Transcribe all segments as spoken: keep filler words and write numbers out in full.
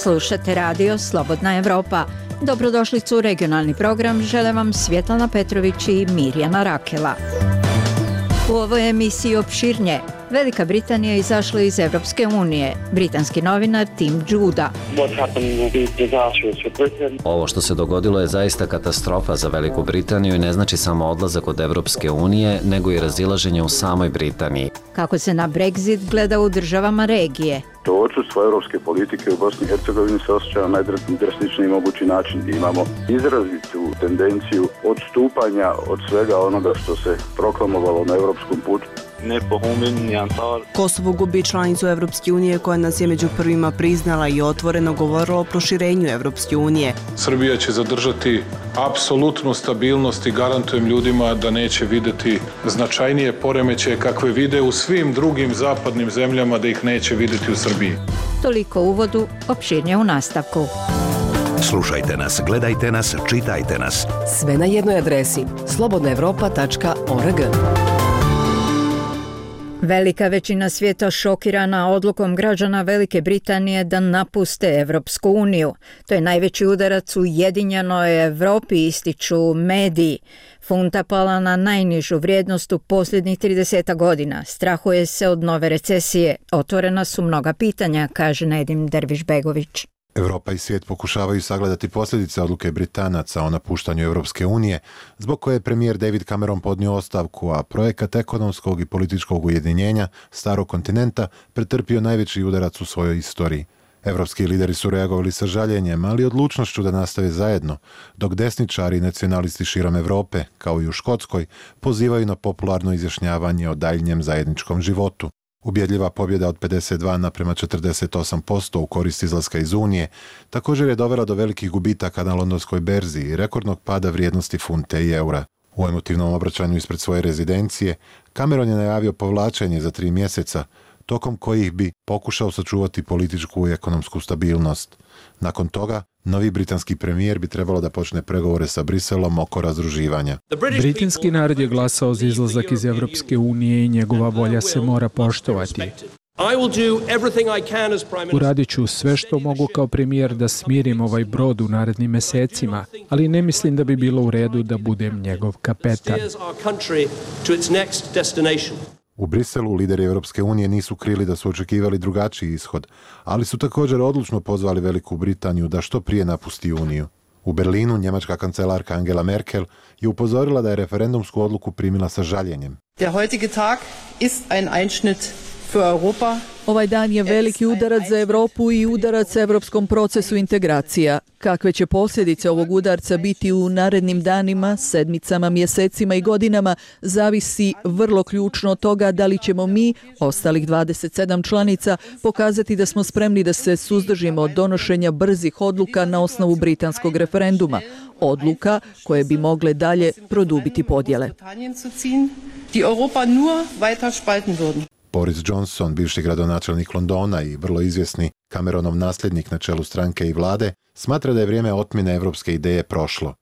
Slušate radio Slobodna Evropa. Dobrodošlicu u regionalni program žele vam Svjetlana Petrović i Mirjana Rakela. U ovoj emisiji opširnije. Velika Britanija je izašla iz Evropske unije. Britanski novinar Tim Judah. Ovo što se dogodilo je zaista katastrofa za Veliku Britaniju i ne znači samo odlazak od Evropske unije, nego i razilaženje u samoj Britaniji. Kako se na Brexit gleda u državama regije. To odsustvo europske politike u Bosni i Hercegovini se osjeća na najdrastičniji mogući način. Imamo izrazitu tendenciju odstupanja od svega onoga što se proklamovalo na europskom putu. Kosovo gubi članicu Evropske unije koja nas je među prvima priznala i otvoreno govorila o proširenju Evropske unije. Srbija će zadržati apsolutnu stabilnost i garantujem ljudima da neće vidjeti značajnije poremećaje kakve vide u svim drugim zapadnim zemljama, da ih neće vidjeti u Srbiji. Toliko uvodu, opširnije u nastavku. Slušajte nas, gledajte nas, čitajte nas. Sve na jednoj adresi slobodna evropa tačka org. Velika većina svijeta šokirana odlukom građana Velike Britanije da napuste Evropsku uniju. To je najveći udarac u ujedinjenoj Evropi, ističu mediji. Funta pala na najnižu vrijednost u posljednjih trideset godina. Strahuje se od nove recesije. Otvorena su mnoga pitanja, kaže Nedim Dervišbegović. Evropa i svijet pokušavaju sagledati posljedice odluke Britanaca o napuštanju Evropske unije, zbog koje je premijer David Cameron podnio ostavku, a projekat ekonomskog i političkog ujedinjenja starog kontinenta pretrpio najveći udarac u svojoj istoriji. Evropski lideri su reagovali sa žaljenjem, ali odlučnošću da nastave zajedno, dok desničari i nacionalisti širom Evrope, kao i u Škotskoj, pozivaju na popularno izjašnjavanje o daljnjem zajedničkom životu. Ubjedljiva pobjeda od pedeset dva naprema četrdeset osam posto u korist izlaska iz Unije također je dovela do velikih gubitaka na londonskoj berzi i rekordnog pada vrijednosti funte i eura. U emotivnom obraćanju ispred svoje rezidencije, Cameron je najavio povlačenje za tri mjeseca, tokom kojih bi pokušao sačuvati političku i ekonomsku stabilnost. Nakon toga, novi britanski premijer bi trebalo da počne pregovore sa Briselom oko razdruživanja. Britanski narod je glasao za izlazak iz Evropske unije i njegova volja se mora poštovati. Uradit ću sve što mogu kao premijer da smirim ovaj brod u narednim mesecima, ali ne mislim da bi bilo u redu da budem njegov kapetan. U Briselu lideri Evropske unije nisu krili da su očekivali drugačiji ishod, ali su također odlučno pozvali Veliku Britaniju da što prije napusti Uniju. U Berlinu njemačka kancelarka Angela Merkel je upozorila da je referendumsku odluku primila sa žaljenjem. Der heutige Tag ist ein Einschnitt für Europa. Ovaj dan je veliki udarac za Evropu i udarac evropskom procesu integracija. Kakve će posljedice ovog udarca biti u narednim danima, sedmicama, mjesecima i godinama, zavisi vrlo ključno od toga da li ćemo mi, ostalih dvadeset sedam članica, pokazati da smo spremni da se suzdržimo od donošenja brzih odluka na osnovu britanskog referenduma. Odluka koje bi mogle dalje produbiti podjele. Boris Johnson, bivši gradonačelnik Londona i vrlo izvjesni Cameronov nasljednik na čelu stranke i vlade, smatra da je vrijeme otmjene evropske ideje prošlo.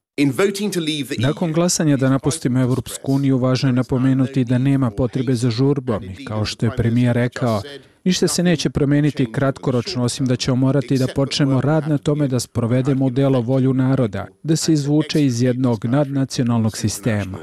Nakon glasanja da napustimo Evropsku uniju, važno je napomenuti da nema potrebe za žurbom i kao što je premijer rekao, ništa se neće promijeniti kratkoročno, osim da ćemo morati da počnemo rad na tome da sprovedemo u djelo volju naroda, da se izvuče iz jednog nadnacionalnog sistema.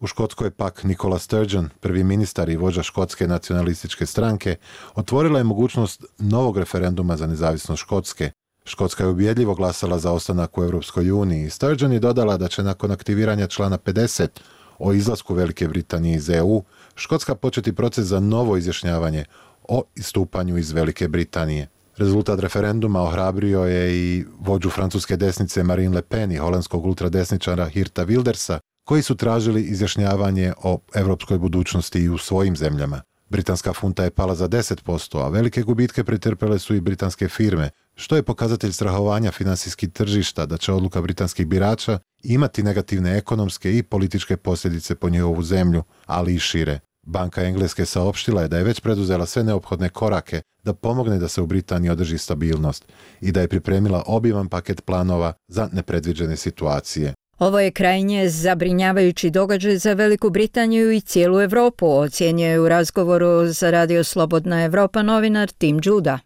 U Škotskoj pak Nicola Sturgeon, prvi ministar i vođa škotske nacionalističke stranke, otvorila je mogućnost novog referenduma za nezavisnost Škotske. Škotska je ubjedljivo glasala za ostanak u Europskoj uniji. Sturgeon je dodala da će nakon aktiviranja člana pedeset o izlasku Velike Britanije iz E U, Škotska početi proces za novo izjašnjavanje o istupanju iz Velike Britanije. Rezultat referenduma ohrabrio je i vođu francuske desnice Marine Le Pen i holandskog ultradesničara Geerta Wildersa, koji su tražili izjašnjavanje o evropskoj budućnosti i u svojim zemljama. Britanska funta je pala za deset posto, a velike gubitke pretrpele su i britanske firme, što je pokazatelj strahovanja finansijskih tržišta da će odluka britanskih birača imati negativne ekonomske i političke posljedice po njihovu zemlju, ali i šire. Banka Engleske saopštila je da je već preduzela sve neophodne korake da pomogne da se u Britaniji održi stabilnost i da je pripremila obiman paket planova za nepredviđene situacije. Ovo je krajnje zabrinjavajući događaj za Veliku Britaniju i cijelu Evropu, ocjenjuje u razgovoru za radio Slobodna Evropa novinar Tim Judah.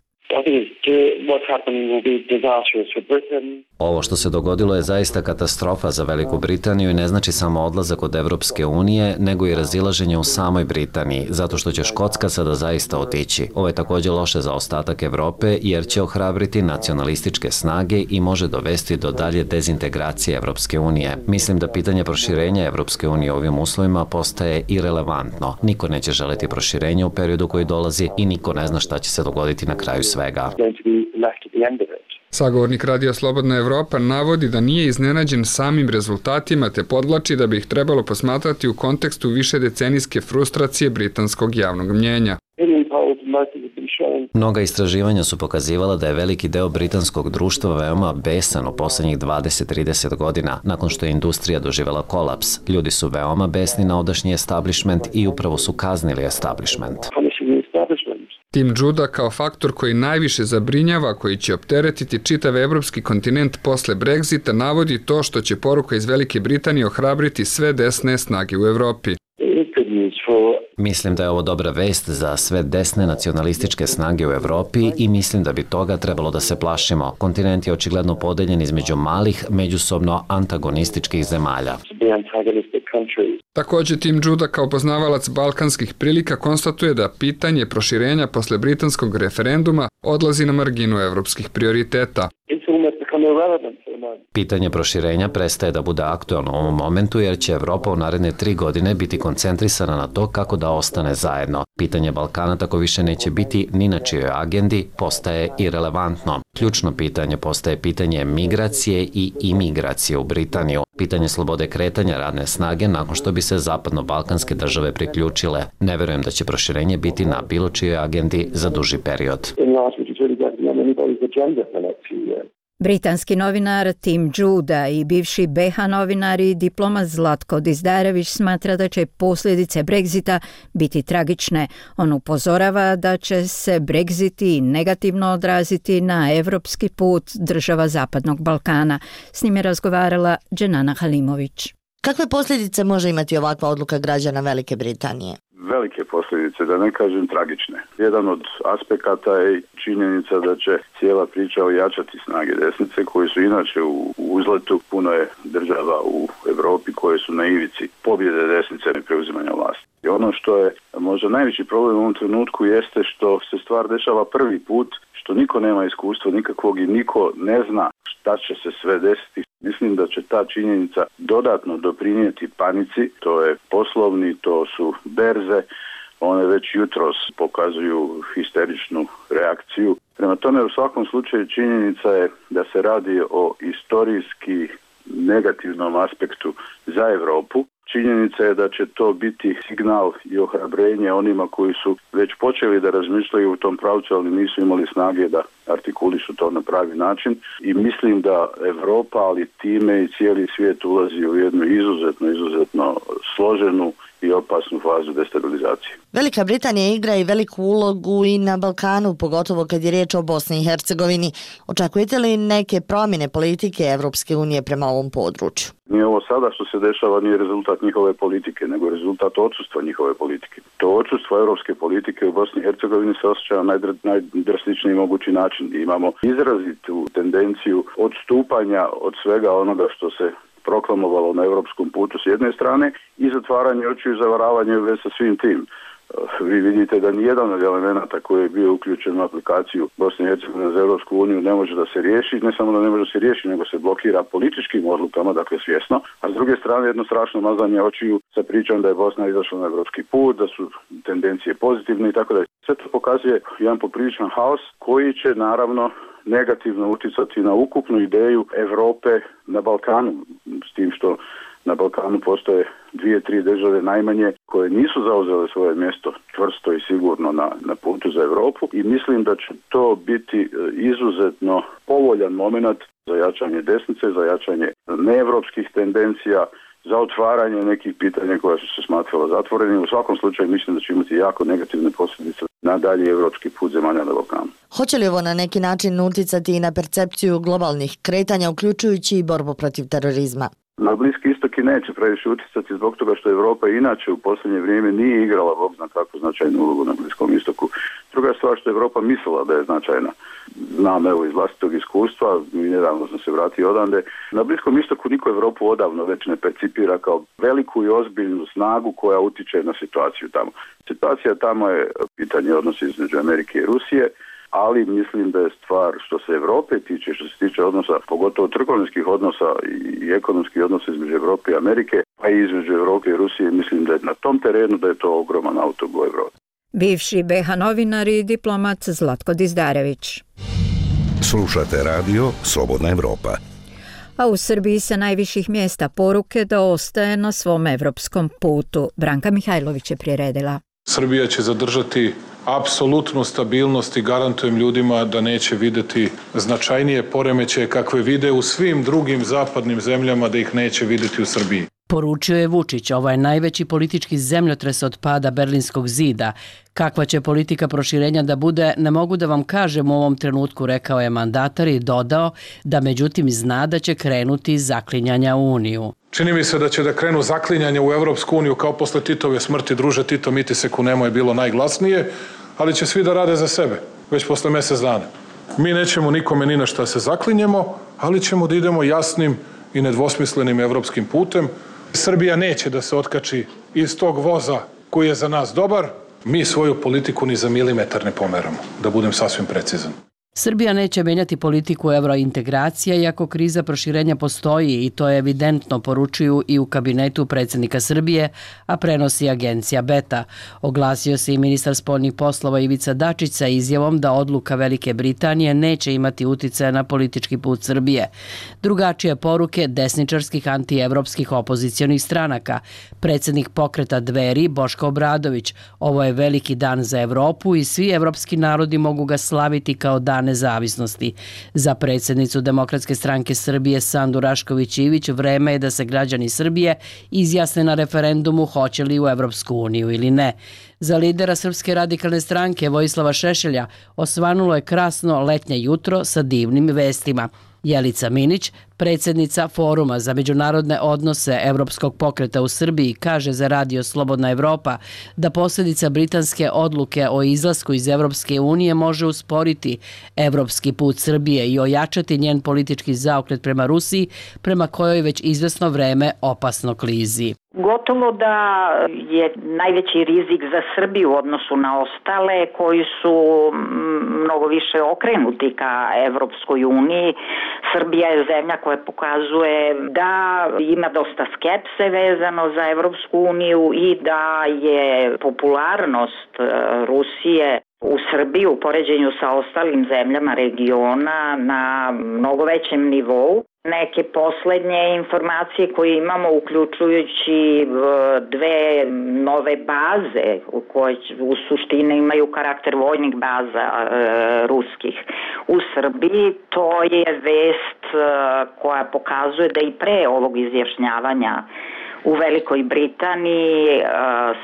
Ovo što se dogodilo je zaista katastrofa za Veliku Britaniju i ne znači samo odlazak od Evropske unije, nego i razilaženje u samoj Britaniji, zato što će Škotska sada zaista otići. Ovo je također loše za ostatak Evrope, jer će ohrabriti nacionalističke snage i može dovesti do dalje dezintegracije Evropske unije. Mislim da pitanje proširenja Evropske unije u ovim uslovima postaje irelevantno. Niko neće želiti proširenje u periodu koji dolazi i niko ne zna šta će se dogoditi na kraju svega. Sagovornik Radija Slobodna Evropa navodi da nije iznenađen samim rezultatima te podvlači da bi ih trebalo posmatrati u kontekstu višedecenijske frustracije britanskog javnog mnjenja. Mnoga istraživanja su pokazivala da je veliki deo britanskog društva veoma besan u posljednjih dvadeset do trideset godina, nakon što je industrija doživjela kolaps. Ljudi su veoma besni na odašnji establishment i upravo su kaznili establishment. Tim Judah kao faktor koji najviše zabrinjava, koji će opteretiti čitav evropski kontinent posle Brexita, navodi to što će poruka iz Velike Britanije ohrabriti sve desne snage u Evropi. Mislim da je ovo dobra vest za sve desne nacionalističke snage u Evropi i mislim da bi toga trebalo da se plašimo. Kontinent je očigledno podeljen između malih, međusobno antagonističkih zemalja. Također Tim Judah kao poznavalac balkanskih prilika konstatuje da pitanje proširenja posle britanskog referenduma odlazi na marginu evropskih prioriteta. Pitanje proširenja prestaje da bude aktualno u ovom momentu jer će Evropa u naredne tri godine biti koncentrisana na to kako da ostane zajedno. Pitanje Balkana tako više neće biti ni na čijoj agendi, postaje irelevantno. Ključno pitanje postaje pitanje migracije i imigracije u Britaniju. Pitanje slobode kretanja radne snage nakon što bi se zapadno-balkanske države priključile. Ne verujem da će proširenje biti na bilo čijoj agendi za duži period. Britanski novinar Tim Judah i bivši B H novinar i diplomat Zlatko Dizdarević smatra da će posljedice Brexita biti tragične. On upozorava da će se Brexit negativno odraziti na evropski put država Zapadnog Balkana. S njim je razgovarala Dženana Halimović. Kakve posljedice može imati ovakva odluka građana Velike Britanije? Velike posljedice, da ne kažem tragične. Jedan od aspekata je činjenica da će cijela priča ojačati snage desnice koji su inače u uzletu. Puno je država u Europi koje su na ivici pobjede desnice i preuzimanja vlasti. I ono što je možda najveći problem u ovom trenutku jeste što se stvar dešava prvi put, što niko nema iskustva nikakvog i niko ne zna šta će se sve desiti. Mislim da će ta činjenica dodatno doprinijeti panici, to je poslovni, to su berze, one već jutros pokazuju histeričnu reakciju. Prema tome u svakom slučaju činjenica je da se radi o istorijski negativnom aspektu za Europu. Činjenica je da će to biti signal i ohrabrenje onima koji su već počeli da razmišljaju u tom pravcu, ali nisu imali snage da artikulišu to na pravi način. I mislim da Europa, ali time i cijeli svijet ulazi u jednu izuzetno, izuzetno složenu i opasnu fazu destabilizacije. Velika Britanija igra i veliku ulogu i na Balkanu, pogotovo kad je riječ o Bosni i Hercegovini. Očekujete li neke promjene politike Evropske unije prema ovom području? Nije ovo sada što se dešava nije rezultat njihove politike, nego rezultat odsustva njihove politike. To odsustvo europske politike u Bosni i Hercegovini se osjeća na najdrastičniji mogući način. Imamo izrazitu tendenciju odstupanja od svega onoga što se proklamovalo na europskom putu s jedne strane i zatvaranje očiju i zavaravanje već sa svim tim. Vi vidite da nijedan od elemenata koji je bio uključen u aplikaciju Bosne i Hercegovine za Europsku uniju ne može da se riješi, ne samo da ne može da se riješi, nego se blokira političkim odlukama, dakle svjesno, a s druge strane jedno strašno mazanje očiju sa pričom da je Bosna izašla na europski put, da su tendencije pozitivne i tako da. Sve to pokazuje jedan popriličan haos koji će naravno negativno utjecati na ukupnu ideju Europe na Balkanu, s tim što na Balkanu postoje dvije, tri države najmanje koje nisu zauzele svoje mjesto čvrsto i sigurno na, na putu za Europu i mislim da će to biti izuzetno povoljan moment za jačanje desnice, za jačanje neevropskih tendencija, za otvaranje nekih pitanja koja su se smatrala zatvorenim. U svakom slučaju mislim da će imati jako negativne posljedice na dalji evropski put zemalja na Balkanu. Hoće li ovo na neki način utjecati i na percepciju globalnih kretanja, uključujući i borbu protiv terorizma? Na Bliski istok i neće previše utjecati zbog toga što Europa inače u posljednje vrijeme nije igrala, Bog zna kako, značajnu ulogu na Bliskom istoku. Druga stvar što Europa mislila da je značajna. Znam evo iz vlastitog iskustva, nedavno sam se vratio odande. Na Bliskom istoku niko Europu odavno već ne percipira kao veliku i ozbiljnu snagu koja utiče na situaciju tamo. Situacija tamo je pitanje odnosa između Amerike i Rusije, ali mislim da je stvar što se Europe tiče, što se tiče odnosa, pogotovo trgovinskih odnosa i ekonomskih odnosa između Europe i Amerike, pa i između Europe i Rusije, mislim da je na tom terenu da je to ogroman autobus u Europi. Bivši B H novinar i diplomat Zlatko Dizdarević. Slušate radio Slobodna Evropa. A u Srbiji sa najviših mjesta poruke da ostaje na svom evropskom putu. Branka Mihajlović je priredila. Srbija će zadržati apsolutnu stabilnost i garantujem ljudima da neće vidjeti značajnije poremećaje kakve vide u svim drugim zapadnim zemljama, da ih neće vidjeti u Srbiji. Poručio je Vučić, ovo je najveći politički zemljotres od pada Berlinskog zida. Kakva će politika proširenja da bude, ne mogu da vam kažem u ovom trenutku, rekao je mandatar i dodao da međutim zna da će krenuti zaklinjanja u Uniju. Čini mi se da će da krenu zaklinjanje u Evropsku uniju kao posle Titove smrti. Druže Tito, mi ti se kunemo je bilo najglasnije, ali će svi da rade za sebe, već posle mjesec dana. Mi nećemo nikome ni na šta se zaklinjemo, ali ćemo da idemo jasnim i nedvosmislenim evropskim putem. Srbija neće da se otkači iz tog voza koji je za nas dobar. Mi svoju politiku ni za milimetar ne pomeramo, da budem sasvim precizan. Srbija neće menjati politiku evrointegracija iako kriza proširenja postoji i to je evidentno, poručuju i u kabinetu predsjednika Srbije, a prenosi agencija Beta. Oglasio se i ministar spoljnih poslova Ivica Dačić sa izjavom da odluka Velike Britanije neće imati uticaja na politički put Srbije. Drugačije poruke desničarskih antievropskih opozicionih stranaka. Predsjednik pokreta Dveri Boško Obradović: ovo je veliki dan za Evropu i svi evropski narodi mogu ga slaviti kao dan nezavisnosti. Za predsjednicu Demokratske stranke Srbije Sandu Rašković-Ivić vreme je da se građani Srbije izjasne na referendumu hoće li u Evropsku uniju ili ne. Za lidera Srpske radikalne stranke Vojislava Šešelja osvanulo je krasno letnje jutro sa divnim vestima. Jelica Minić, predsjednica Foruma za međunarodne odnose Evropskog pokreta u Srbiji, kaže za radio Slobodna Evropa da posljedica britanske odluke o izlasku iz Evropske unije može usporiti evropski put Srbije i ojačati njen politički zaokret prema Rusiji, prema kojoj već izvesno vreme opasno klizi. Gotovo da je najveći rizik za Srbiju u odnosu na ostale koji su mnogo više okrenuti ka Evropskoj uniji. Srbija je zemlja koja pokazuje da ima dosta skepse vezano za Evropsku uniju i da je popularnost Rusije u Srbiji u poređenju sa ostalim zemljama regiona na mnogo većem nivou. Neke poslednje informacije koje imamo, uključujući dve nove baze koje u suštini imaju karakter vojnih baza e, ruskih u Srbiji, to je vest e, koja pokazuje da i pre ovog izjašnjavanja u Velikoj Britaniji e,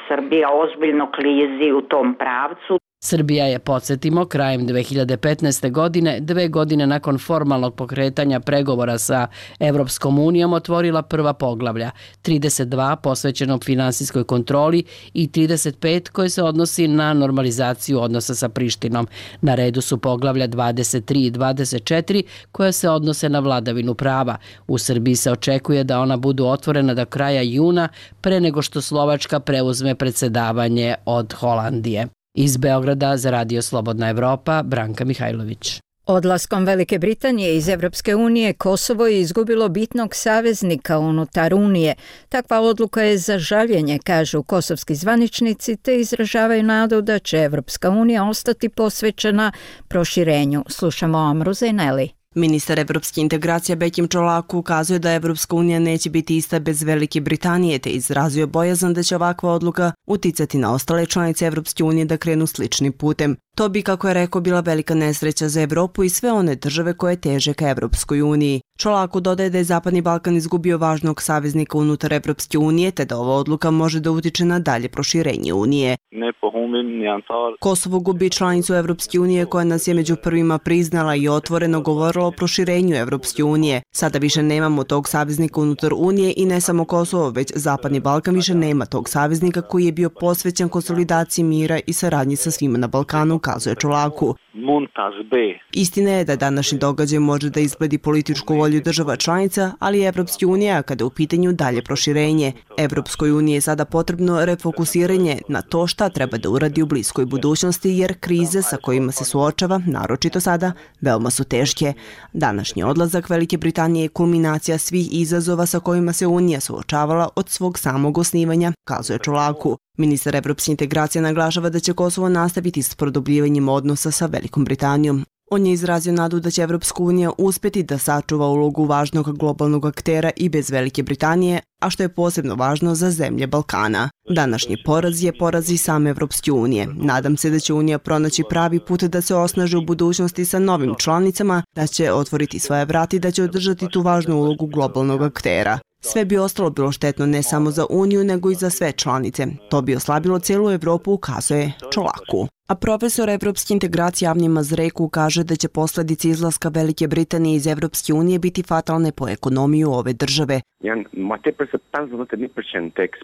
Srbija ozbiljno klizi u tom pravcu. Srbija je, podsjetimo, krajem dve hiljade petnaeste. godine, dve godine nakon formalnog pokretanja pregovora sa Evropskom unijom, otvorila prva poglavlja, trideset dva posvećeno finansijskoj kontroli i trideset pet koje se odnosi na normalizaciju odnosa sa Prištinom. Na redu su poglavlja dvadeset tri i dvadeset četiri koja se odnose na vladavinu prava. U Srbiji se očekuje da ona budu otvorena do kraja juna, pre nego što Slovačka preuzme predsjedavanje od Holandije. Iz Beograda za radio Slobodna Evropa, Branka Mihajlović. Odlaskom Velike Britanije iz Evropske unije Kosovo je izgubilo bitnog saveznika unutar Unije. Takva odluka je za žaljenje, kažu kosovski zvaničnici, te izražavaju nadu da će Evropska unija ostati posvećena proširenju. Slušamo Amru Zejneli. Ministar evropske integracije Bekim Čolaku ukazuje da Evropska unija neće biti ista bez Velike Britanije, te izrazio bojazan da će ovakva odluka uticati na ostale članice Evropske unije da krenu sličnim putem. To bi, kako je rekao, bila velika nesreća za Evropu i sve one države koje teže ka Evropskoj uniji. Čolako dodaje da je Zapadni Balkan izgubio važnog saveznika unutar Evropske unije, te da ova odluka može da utiče na dalje proširenje unije. Kosovo gubi članicu Evropske unije koja nas je među prvima priznala i otvoreno govorila o proširenju Evropske unije. Sada više nemamo tog saveznika unutar unije i ne samo Kosovo, već Zapadni Balkan više nema tog saveznika koji je bio posvećen konsolidaciji mira i saradnji sa svima na Balkanu, kazuje Čolaku. Istina je da današnji događaj može da izgledi političku volju država članica, ali i Evropske unije kada je u pitanju dalje proširenje. Evropskoj uniji je sada potrebno refokusiranje na to šta treba da uradi u bliskoj budućnosti, jer krize sa kojima se suočava, naročito sada, veoma su teške. Današnji odlazak Velike Britanije je kulminacija svih izazova sa kojima se Unija suočavala od svog samog osnivanja, kazuje Čolaku. Ministar evropske integracije naglašava da će Kosovo nastaviti s produbljivanjem odnosa sa Velikom Britanijom. On je izrazio nadu da će Evropska unija uspjeti da sačuva ulogu važnog globalnog aktera i bez Velike Britanije, a što je posebno važno za zemlje Balkana. Današnji poraz je poraz i same Evropske unije. Nadam se da će Unija pronaći pravi put da se osnaži u budućnosti sa novim članicama, da će otvoriti svoje vrati i da će održati tu važnu ulogu globalnog aktera. Sve bi ostalo bilo štetno ne samo za Uniju, nego i za sve članice. To bi oslabilo cijelu Evropu, ukazuje Čolaku. A profesor evropske integracije Avni Mazreku kaže da će posljedice izlaska Velike Britanije iz Evropske unije biti fatalne po ekonomiju ove države.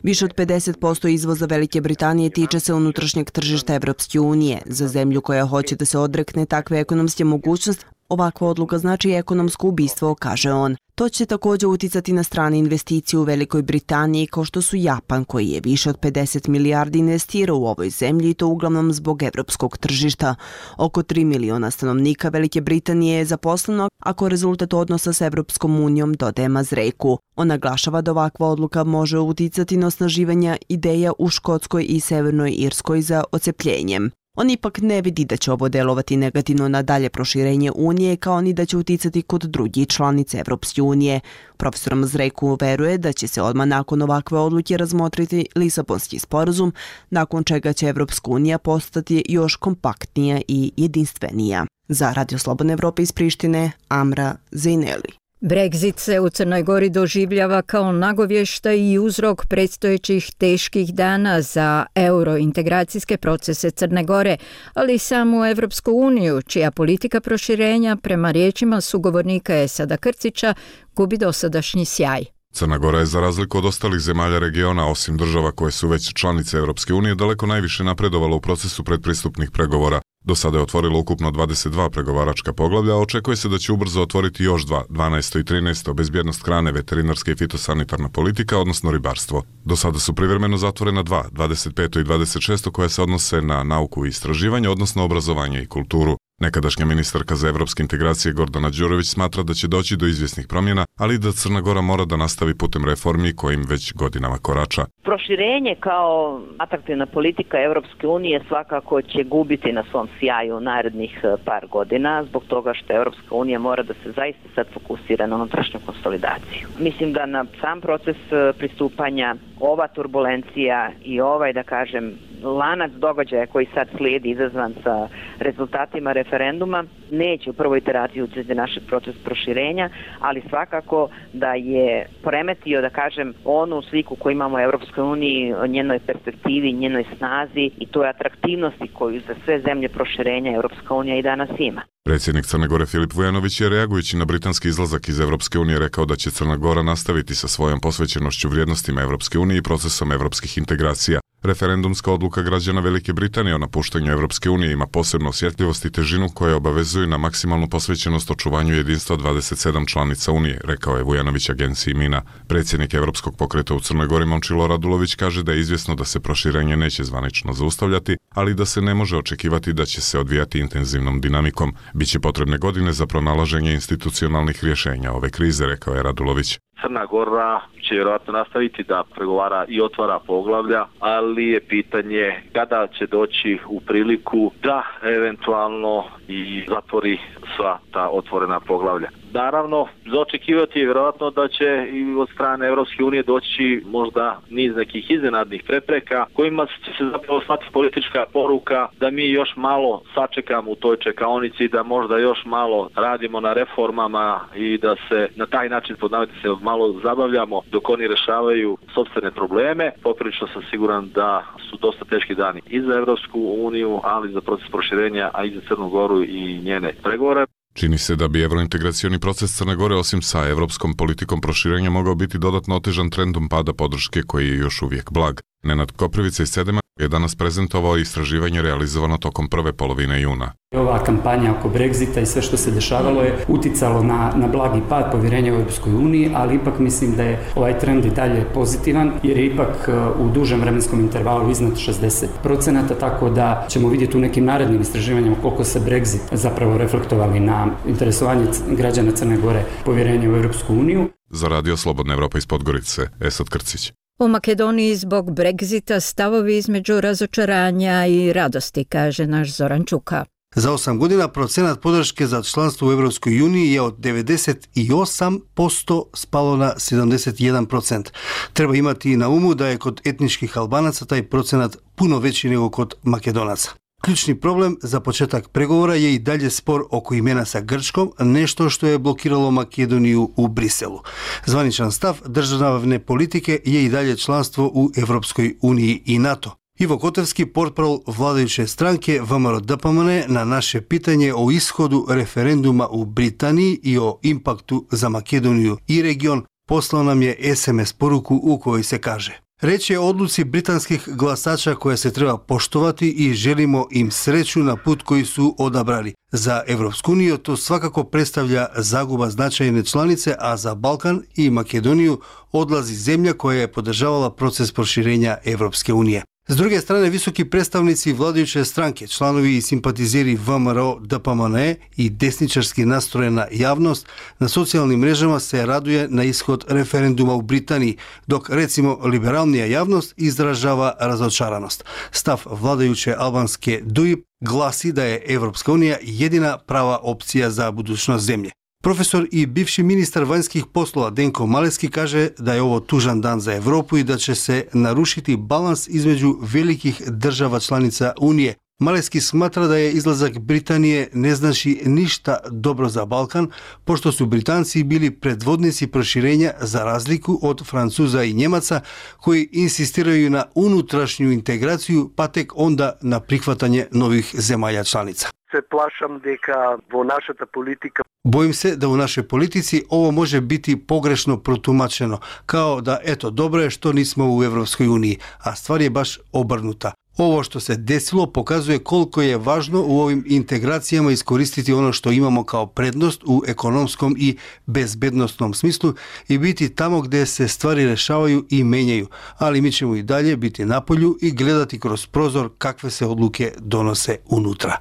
Više od pedeset posto izvoza Velike Britanije tiče se unutrašnjeg tržišta Evropske unije. Za zemlju koja hoće da se odrekne takve ekonomske mogućnosti, ovakva odluka znači ekonomsko ubistvo, kaže on. To će također uticati na strane investicije u Velikoj Britaniji, kao što su Japan, koji je više od pedeset milijardi investirao u ovoj zemlji i to uglavnom zbog evropskog tržišta. Oko tri miliona stanovnika Velike Britanije je zaposleno, ako rezultat odnosa s Evropskom unijom, dodaje Mazreku. On naglašava da ovakva odluka može uticati na osnaživanje ideja u Škotskoj i Severnoj Irskoj za ocepljenjem. On ipak ne vidi da će ovo delovati negativno na dalje proširenje Unije, kao ni da će uticati kod drugih članice Evropske unije. Profesor Mazreku veruje da će se odmah nakon ovakve odluke razmotriti Lisabonski sporazum, nakon čega će Evropska unija postati još kompaktnija i jedinstvenija. Za Radio Slobodne Evrope iz Prištine, Amra Zejneli. Brexit se u Crnoj Gori doživljava kao nagovještaj i uzrok predstojećih teških dana za eurointegracijske procese Crne Gore, ali i samu Evropsku uniju, čija politika proširenja, prema riječima sugovornika Esada Krcića, gubi dosadašnji sjaj. Crna Gora je za razliku od ostalih zemalja regiona, osim država koje su već članice Evropske unije, daleko najviše napredovala u procesu predpristupnih pregovora. Do sada je otvorilo ukupno dvadeset dva pregovaračka poglavlja, a očekuje se da će ubrzo otvoriti još dva, dvanaesto i trinaesto, bezbjednost hrane, veterinarska i fitosanitarna politika, odnosno ribarstvo. Do sada su privremeno zatvorena dva, dvadeset peto i dvadeset šesto, koja se odnose na nauku i istraživanje, odnosno obrazovanje i kulturu. Nekadašnja ministarka za evropske integracije Gordana Đurović smatra da će doći do izvjesnih promjena, ali i da Crna Gora mora da nastavi putem reformi kojim već godinama korača. Proširenje kao atraktivna politika Evropske unije svakako će gubiti na svom sjaju narednih par godina, zbog toga što Evropska unija mora da se zaista sad fokusira na unutrašnju konsolidaciju. Mislim da na sam proces pristupanja ova turbulencija i ovaj, da kažem, lanac događaja koji sad slijedi izazvan sa rezultatima referenduma neće u prvoj iteraciji utjecati našeg procesa proširenja, ali svakako da je poremetio, da kažem, onu sliku koju imamo u Evropskoj uniji, o njenoj perspektivi, njenoj snazi i toj atraktivnosti koju za sve zemlje proširenja Evropska unija i danas ima. Predsjednik Crne Gore Filip Vujanović je, reagujući na britanski izlazak iz Evropske unije, rekao da će Crna Gora nastaviti sa svojom posvećenošću vrijednostima Evropske unije i procesom evropskih integracija. Referendumska odluka građana Velike Britanije o napuštanju Evropske unije ima posebnu osjetljivost i težinu koja obavezuje na maksimalnu posvećenost očuvanju jedinstva dvadeset sedam članica Unije, rekao je Vujanović agenciji Mina. Predsjednik Evropskog pokreta u Crnoj Gori Momčilo Radulović kaže da je izvjesno da se proširenje neće zvanično zaustavljati, ali da se ne može očekivati da će se odvijati intenzivnom dinamikom. Biće potrebne godine za pronalaženje institucionalnih rješenja ove krize, rekao je Radulović. Crna Gora će vjerojatno nastaviti da pregovara i otvara poglavlja, ali je pitanje kada će doći u priliku da eventualno i zatvori sva ta otvorena poglavlja. Naravno, za očekivati je vjerojatno da će i od strane Europske unije doći možda niz nekih iznenadnih prepreka kojima će se zapravo slati politička poruka da mi još malo sačekamo u toj čekaonici, da možda još malo radimo na reformama i da se na taj način podnaviti se malo zabavljamo dok oni rešavaju sopstvene probleme. Poprilično sam siguran da su dosta teški dani i za Europsku uniju, ali i za proces proširenja, a i za Crnu Goru i njene pregovore. Čini se da bi evrointegracioni proces Crne Gore osim sa evropskom politikom proširenja mogao biti dodatno otežan trendom pada podrške koji je još uvijek blag. Nenad Koprivica iz Sedema je danas prezentovao istraživanje realizovano tokom prve polovine juna. Ova kampanja oko Brexita i sve što se dešavalo je uticalo na, na blagi pad povjerenja u Europskoj uniji, ali ipak mislim da je ovaj trend i dalje pozitivan, jer je ipak u dužem vremenskom intervalu iznad šezdeset procenata, tako da ćemo vidjeti u nekim narednim istraživanjima koliko se Brexit zapravo reflektovali na interesovanje građana Crne Gore povjerenja u Europsku uniju. Za Radio Slobodna Evropa iz Podgorice, Esad Krcić. U Makedoniji zbog Brexita stavovi između razočaranja i radosti, kaže naš Zoran Čuka. Za osam godina procenat podrške za članstvo u Evropskoj uniji je od devedeset osam posto spalo na sedamdeset jedan procent. Treba imati na umu da je kod etničkih Albanaca taj procenat puno veći nego kod Makedonaca. Ključni problem za početak pregovora je i dalje spor oko imena sa Grčkom, nešto što je blokiralo Makedoniju u Briselu. Zvaničan stav državne politike je i dalje članstvo u Evropskoj uniji i NATO. Ivo Kotevski, portparol vladajuće stranke V M R O D P M N, na naše pitanje o ishodu referenduma u Britaniji i o impaktu za Makedoniju i region, poslao nam je es em es poruku u kojoj se kaže: Reč je o odluci britanskih glasača koja se treba poštovati i želimo im sreću na put koji su odabrali. Za Evropsku uniju to svakako predstavlja zaguba značajne članice, a za Balkan i Makedoniju odlazi zemlja koja je podržavala proces proširenja Evropske unije. S druge strane, visoki predstavnici vladajuće stranke, članovi i simpatizeri V M R O D P M N i desničarski nastrojena javnost na socijalnim mrežama se raduje na ishod referenduma u Britaniji, dok recimo liberalnija javnost izražava razočaranost. Stav vladajuće albanske D U I P glasi da je Evropska unija jedina prava opcija za budućnost zemlje. Profesor i bivši ministar vanjskih poslova Denko Maleski kaže da je ovo tužan dan za Evropu i da će se narušiti balans između velikih država članica Unije. Maleski smatra da je izlazak Britanije ne znači ništa dobro za Balkan, pošto su Britanci bili predvodnici proširenja za razliku od Francuza i Njemaca koji insistiraju na unutrašnju integraciju pa tek onda na prihvatanje novih zemalja članica. Se plašam deka vo našата politika. Bojim se da u našoj politici ovo može biti pogrešno protumačeno, kao da eto dobro je što nismo u Evropskoj uniji, a stvar je baš obrnuta. Ovo što se desilo pokazuje koliko je važno u ovim integracijama iskoristiti ono što imamo kao prednost u ekonomskom i bezbednostnom smislu i biti tamo gdje se stvari rešavaju i menjaju, ali mi ćemo i dalje biti na polju i gledati kroz prozor kakve se odluke donose unutra.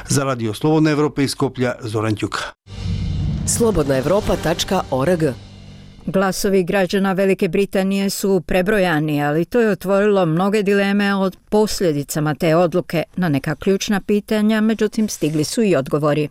Za Radio Slobodna Evropa iz Skoplja, Zoran Ćuka. slobodna evropa tačka org. Glasovi građana Velike Britanije su prebrojani, ali to je otvorilo mnoge dileme o posljedicama te odluke na neka ključna pitanja, međutim stigli su i odgovori.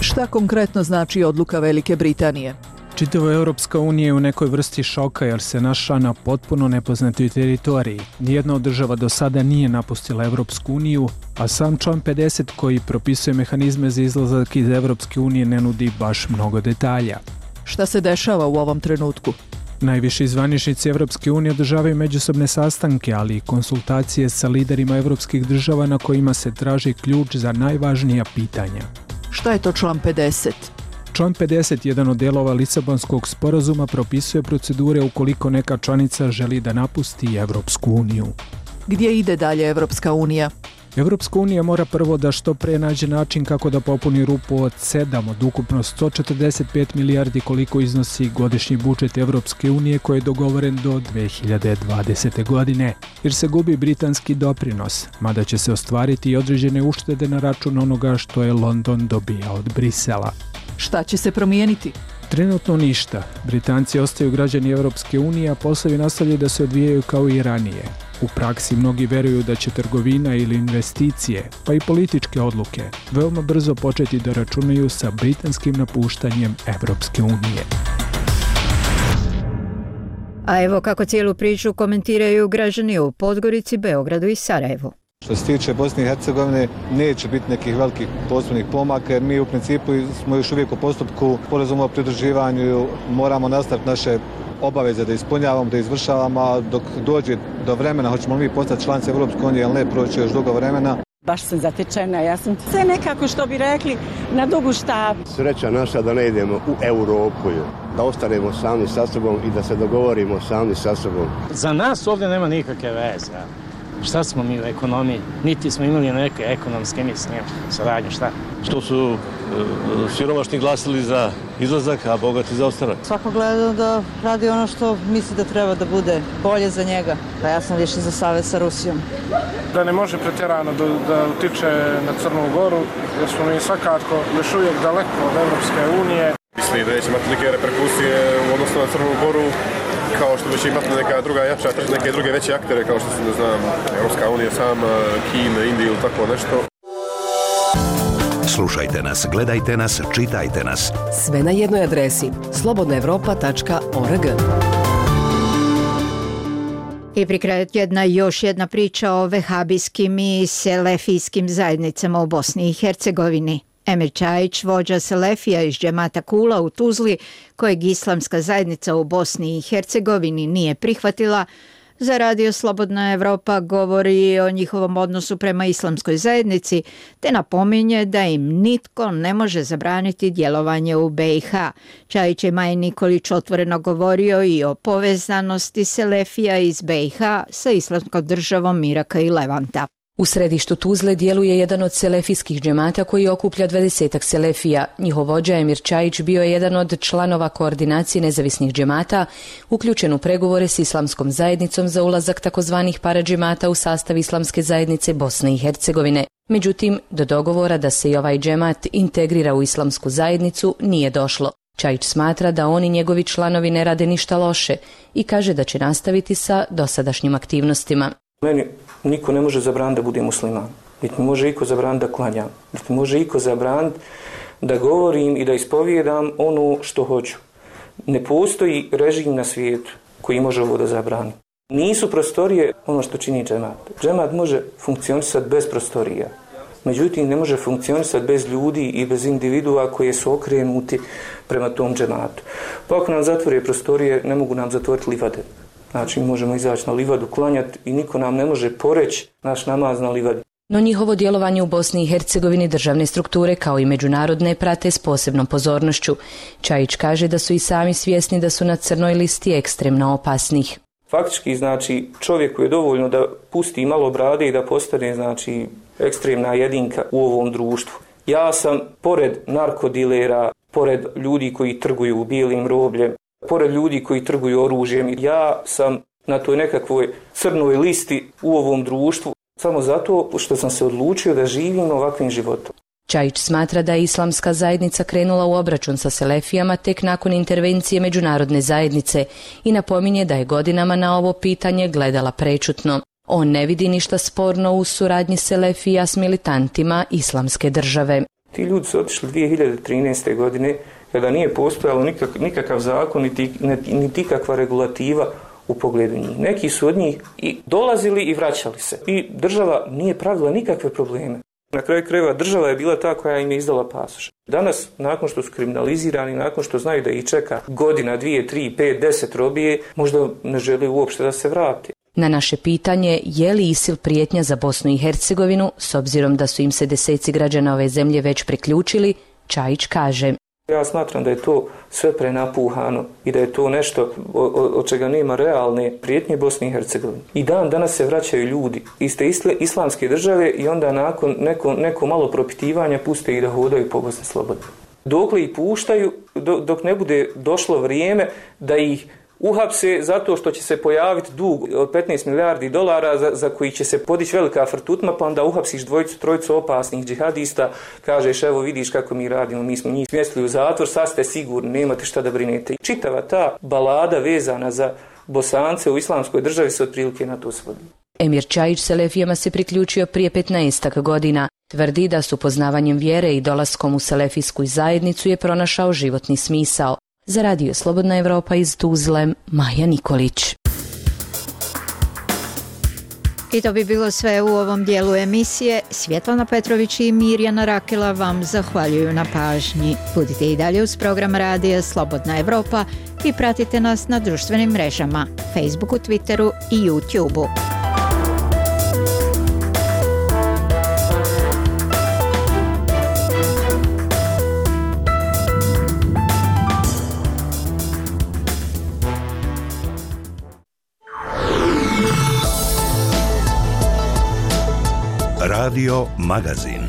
Šta konkretno znači odluka Velike Britanije? Čitava Europska unija je u nekoj vrsti šoka jer se našla na potpuno nepoznatoj teritoriji. Nijedna od država do sada nije napustila Europsku uniju, a sam član pedeset koji propisuje mehanizme za izlazak iz Europske unije ne nudi baš mnogo detalja. Šta se dešava u ovom trenutku? Najviši zvaničnici Evropske unije održavaju međusobne sastanke, ali i konsultacije sa liderima evropskih država na kojima se traži ključ za najvažnija pitanja. Šta je to član pedeset? Član pedeset, jedan od delova Lisabonskog sporazuma, propisuje procedure ukoliko neka članica želi da napusti Evropsku uniju. Gdje ide dalje Evropska unija? Evropska unija mora prvo da što pre nađe način kako da popuni rupu od sedam od ukupno sto četrdeset pet milijardi koliko iznosi godišnji budžet Evropske unije koji je dogovoren do dve hiljade dvadesete. godine, jer se gubi britanski doprinos, mada će se ostvariti i određene uštede na račun onoga što je London dobijao od Brisela. Šta će se promijeniti? Trenutno ništa. Britanci ostaju građani Evropske unije, a poslovi nastavljaju da se odvijaju kao i ranije. U praksi mnogi veruju da će trgovina ili investicije, pa i političke odluke, veoma brzo početi da računaju sa britanskim napuštanjem Evropske unije. A evo kako cijelu priču komentiraju građani u Podgorici, Beogradu i Sarajevu. Što se tiče Bosne i Hercegovine, neće biti nekih velikih posebnih pomaka, jer mi u principu smo još uvijek u postupku sporazuma o pridruživanju, moramo nastaviti naše obaveze da ispunjavamo, da izvršavamo, a dok dođe do vremena, hoćemo li mi postati članice Evropske unije ili ne, proći još dugo vremena. Baš sam zatečena, ja sam sve nekako, što bi rekli, na dugu štapu. Sreća naša da ne idemo u Europu, da ostanemo sami sa sobom i da se dogovorimo sami sa sobom. Za nas ovdje nema nikakve veze. Šta smo mi u ekonomiji? Niti smo imali neke ekonomske misije, saradnje, šta? Što su e, siromašni glasili za izlazak, a bogati za ostanak? Svako gleda da radi ono što misli da treba da bude bolje za njega. Pa ja sam više za savez sa Rusijom. Da ne može pretjerano da, da utiče na Crnu Goru, jer smo mi svakako još uvijek daleko od Evropske unije. Mislim da neće imati neke reperkusije u odnosu na Crnu Goru, kao što će imati neka druga jača, neke druge veće aktere, kao što se, ne znam, Evropska unija sama, Kina, Indija ili tako nešto. Slušajte nas, gledajte nas, čitajte nas. Sve na jednoj adresi slobodna evropa tačka org. I pri kraju tjedna još jedna priča o vehabijskim i selefijskim zajednicama u Bosni i Hercegovini. Emir Čajić, vođa Selefija iz džemata Kula u Tuzli, kojeg islamska zajednica u Bosni i Hercegovini nije prihvatila, za Radio Slobodna Evropa govori o njihovom odnosu prema islamskoj zajednici, te napominje da im nitko ne može zabraniti djelovanje u be i ha. Čajić je Maji Nikolić otvoreno govorio i o povezanosti Selefija iz be i ha sa islamskom državom Iraka i Levanta. U središtu Tuzle djeluje jedan od selefijskih džemata koji okuplja dvadesetak selefija. Njihov vođa Emir Čajić bio je jedan od članova koordinacije nezavisnih džemata, uključen u pregovore s islamskom zajednicom za ulazak takozvanih paradžemata u sastav islamske zajednice Bosne i Hercegovine. Međutim, do dogovora da se i ovaj džemat integrira u islamsku zajednicu nije došlo. Čajić smatra da oni njegovi članovi ne rade ništa loše i kaže da će nastaviti sa dosadašnjim aktivnostima. Meni niko ne može zabraniti da bude musliman, niti mi može iko zabraniti da klanjam, niti mi može iko zabraniti da govorim i da ispovijedam ono što hoću. Ne postoji režim na svijetu koji može ovo da zabrani. Nisu prostorije ono što čini džemat. Džemat može funkcionisati bez prostorija, međutim ne može funkcionisati bez ljudi i bez individua koje su okrenuti prema tom džematu. Pa ako nam zatvore prostorije, ne mogu nam zatvoriti livade. Znači, možemo izaći na livadu, klanjati i niko nam ne može poreći naš namaz na livadi. No njihovo djelovanje u Bosni i Hercegovini državne strukture kao i međunarodne prate s posebnom pozornošću. Čajić kaže da su i sami svjesni da su na crnoj listi ekstremno opasnih. Faktički, znači, čovjeku je dovoljno da pusti malo brade i da postane, znači, ekstremna jedinka u ovom društvu. Ja sam, pored narkodilera, pored ljudi koji trguju bijelim robljem, pored ljudi koji trguju oružjem, ja sam na toj nekakvoj crnoj listi u ovom društvu samo zato što sam se odlučio da živim ovakvim životom. Čajić smatra da je islamska zajednica krenula u obračun sa selefijama tek nakon intervencije međunarodne zajednice i napominje da je godinama na ovo pitanje gledala prečutno. On ne vidi ništa sporno u suradnji selefija s militantima islamske države. Ti ljudi su otišli dvije hiljade trinaeste. godine kada nije postojalo nikak, nikakav zakon niti, niti kakva regulativa u pogledu njih. Neki su od njih i dolazili i vraćali se. I država nije pravila nikakve probleme. Na kraju krajeva država je bila ta koja im je izdala pasoš. Danas, nakon što su kriminalizirani, nakon što znaju da ih čeka godina, dvije, tri, pet, deset robije, možda ne žele uopšte da se vrati. Na naše pitanje je li ISIL prijetnja za Bosnu i Hercegovinu, s obzirom da su im se deseci građana ove zemlje već priključili, Čajić kaže: ja smatram da je to sve prenapuhano i da je to nešto od čega nema realne prijetnje Bosni i Hercegovini. I dan danas se vraćaju ljudi iz te islamske države i onda nakon neko, neko malo propitivanja puste ih da hodaju po Bosni slobodno. Dokle ih puštaju, dok ne bude došlo vrijeme da ih uhapse zato što će se pojaviti dug od petnaest milijardi dolara za, za koji će se podići velika frtutma, pa onda uhapsiš dvojicu, trojicu opasnih džihadista, kažeš evo vidiš kako mi radimo, mi smo njih smjestili u zatvor, sad ste sigurni, nemate šta da brinete. I čitava ta balada vezana za Bosance u islamskoj državi se otprilike na to svodi. Emir Čajić selefijama se priključio prije petnaestak godina. Tvrdi da s upoznavanjem vjere i dolaskom u selefijsku zajednicu je pronašao životni smisao. Za Radio Slobodna Evropa iz Tuzle, Maja Nikolić. I to bi bilo sve u ovom dijelu emisije. Svjetlana Petrović i Mirjana Rakela vam zahvaljuju na pažnji. Budite i dalje uz program Radija Slobodna Evropa i pratite nas na društvenim mrežama, Facebooku, Twitteru i YouTubeu. Radio Magazin.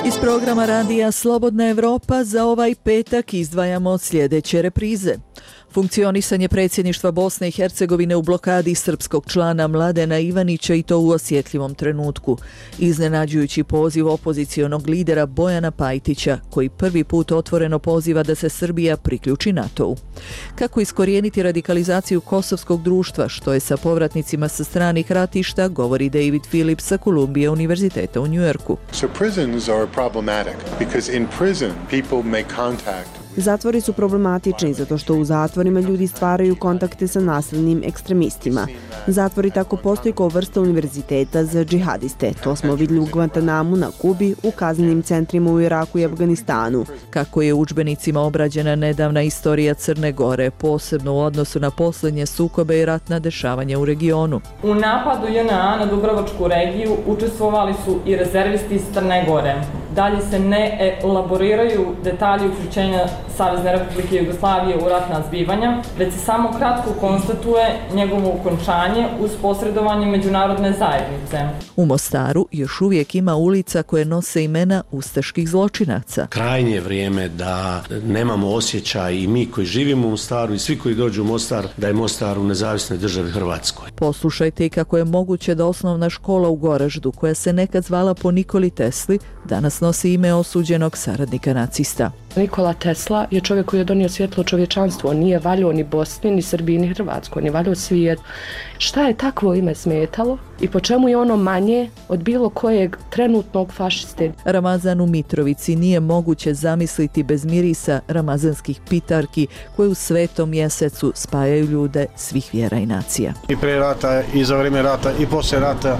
Iz programa Radija Slobodna Evropa za ovaj petak izdvajamo sljedeće reprize. Funkcionisanje predsjedništva Bosne i Hercegovine u blokadi srpskog člana Mladena Ivanića i to u osjetljivom trenutku. Iznenađujući poziv opozicionog lidera Bojana Pajtića, koji prvi put otvoreno poziva da se Srbija priključi NATO-u. Kako iskorijeniti radikalizaciju kosovskog društva, što je sa povratnicima sa stranih ratišta, govori David Phillips sa Columbia univerziteta u Njujorku. So prisons are problematic because in prison people make contact. Zatvori su problematični zato što u zatvorima ljudi stvaraju kontakte sa nasilnim ekstremistima. Zatvori tako postoji kao vrsta univerziteta za džihadiste. To smo vidjeli u Guantanamu na Kubi, u kaznenim centrima u Iraku i Afganistanu. Kako je u udžbenicima obrađena nedavna istorija Crne Gore, posebno u odnosu na posljednje sukobe i ratna dešavanja u regionu. U napadu J N A na Dubrovačku regiju učestvovali su i rezervisti iz Crne Gore. Dalje se ne elaboriraju detalji uključenja Savezne Republike Jugoslavije u ratna zbivanja, već se samo kratko konstatuje njegovo ukončanje uz posredovanje međunarodne zajednice. U Mostaru još uvijek ima ulica koje nose imena ustaških zločinaca. Krajnje je vrijeme da nemamo osjećaj i mi koji živimo u Mostaru i svi koji dođu u Mostar, da je Mostar u nezavisnoj državi Hrvatskoj. Poslušajte i kako je moguće da osnovna škola u Goraždu, koja se nekad zvala po Nikoli Tesli, danas nosi ime osuđenog saradnika nacista. Nikola Tesla je čovjek koji je donio svjetlo čovječanstvu. On nije valjao ni Bosni, ni Srbiji, ni Hrvatskoj. On je valjao svijet. Šta je takvo ime smetalo i po čemu je ono manje od bilo kojeg trenutnog fašiste? Ramazan u Mitrovici nije moguće zamisliti bez mirisa ramazanskih pitarki koje u svetom mjesecu spajaju ljude svih vjera i nacija. I pre rata, i za vrijeme rata, i poslije rata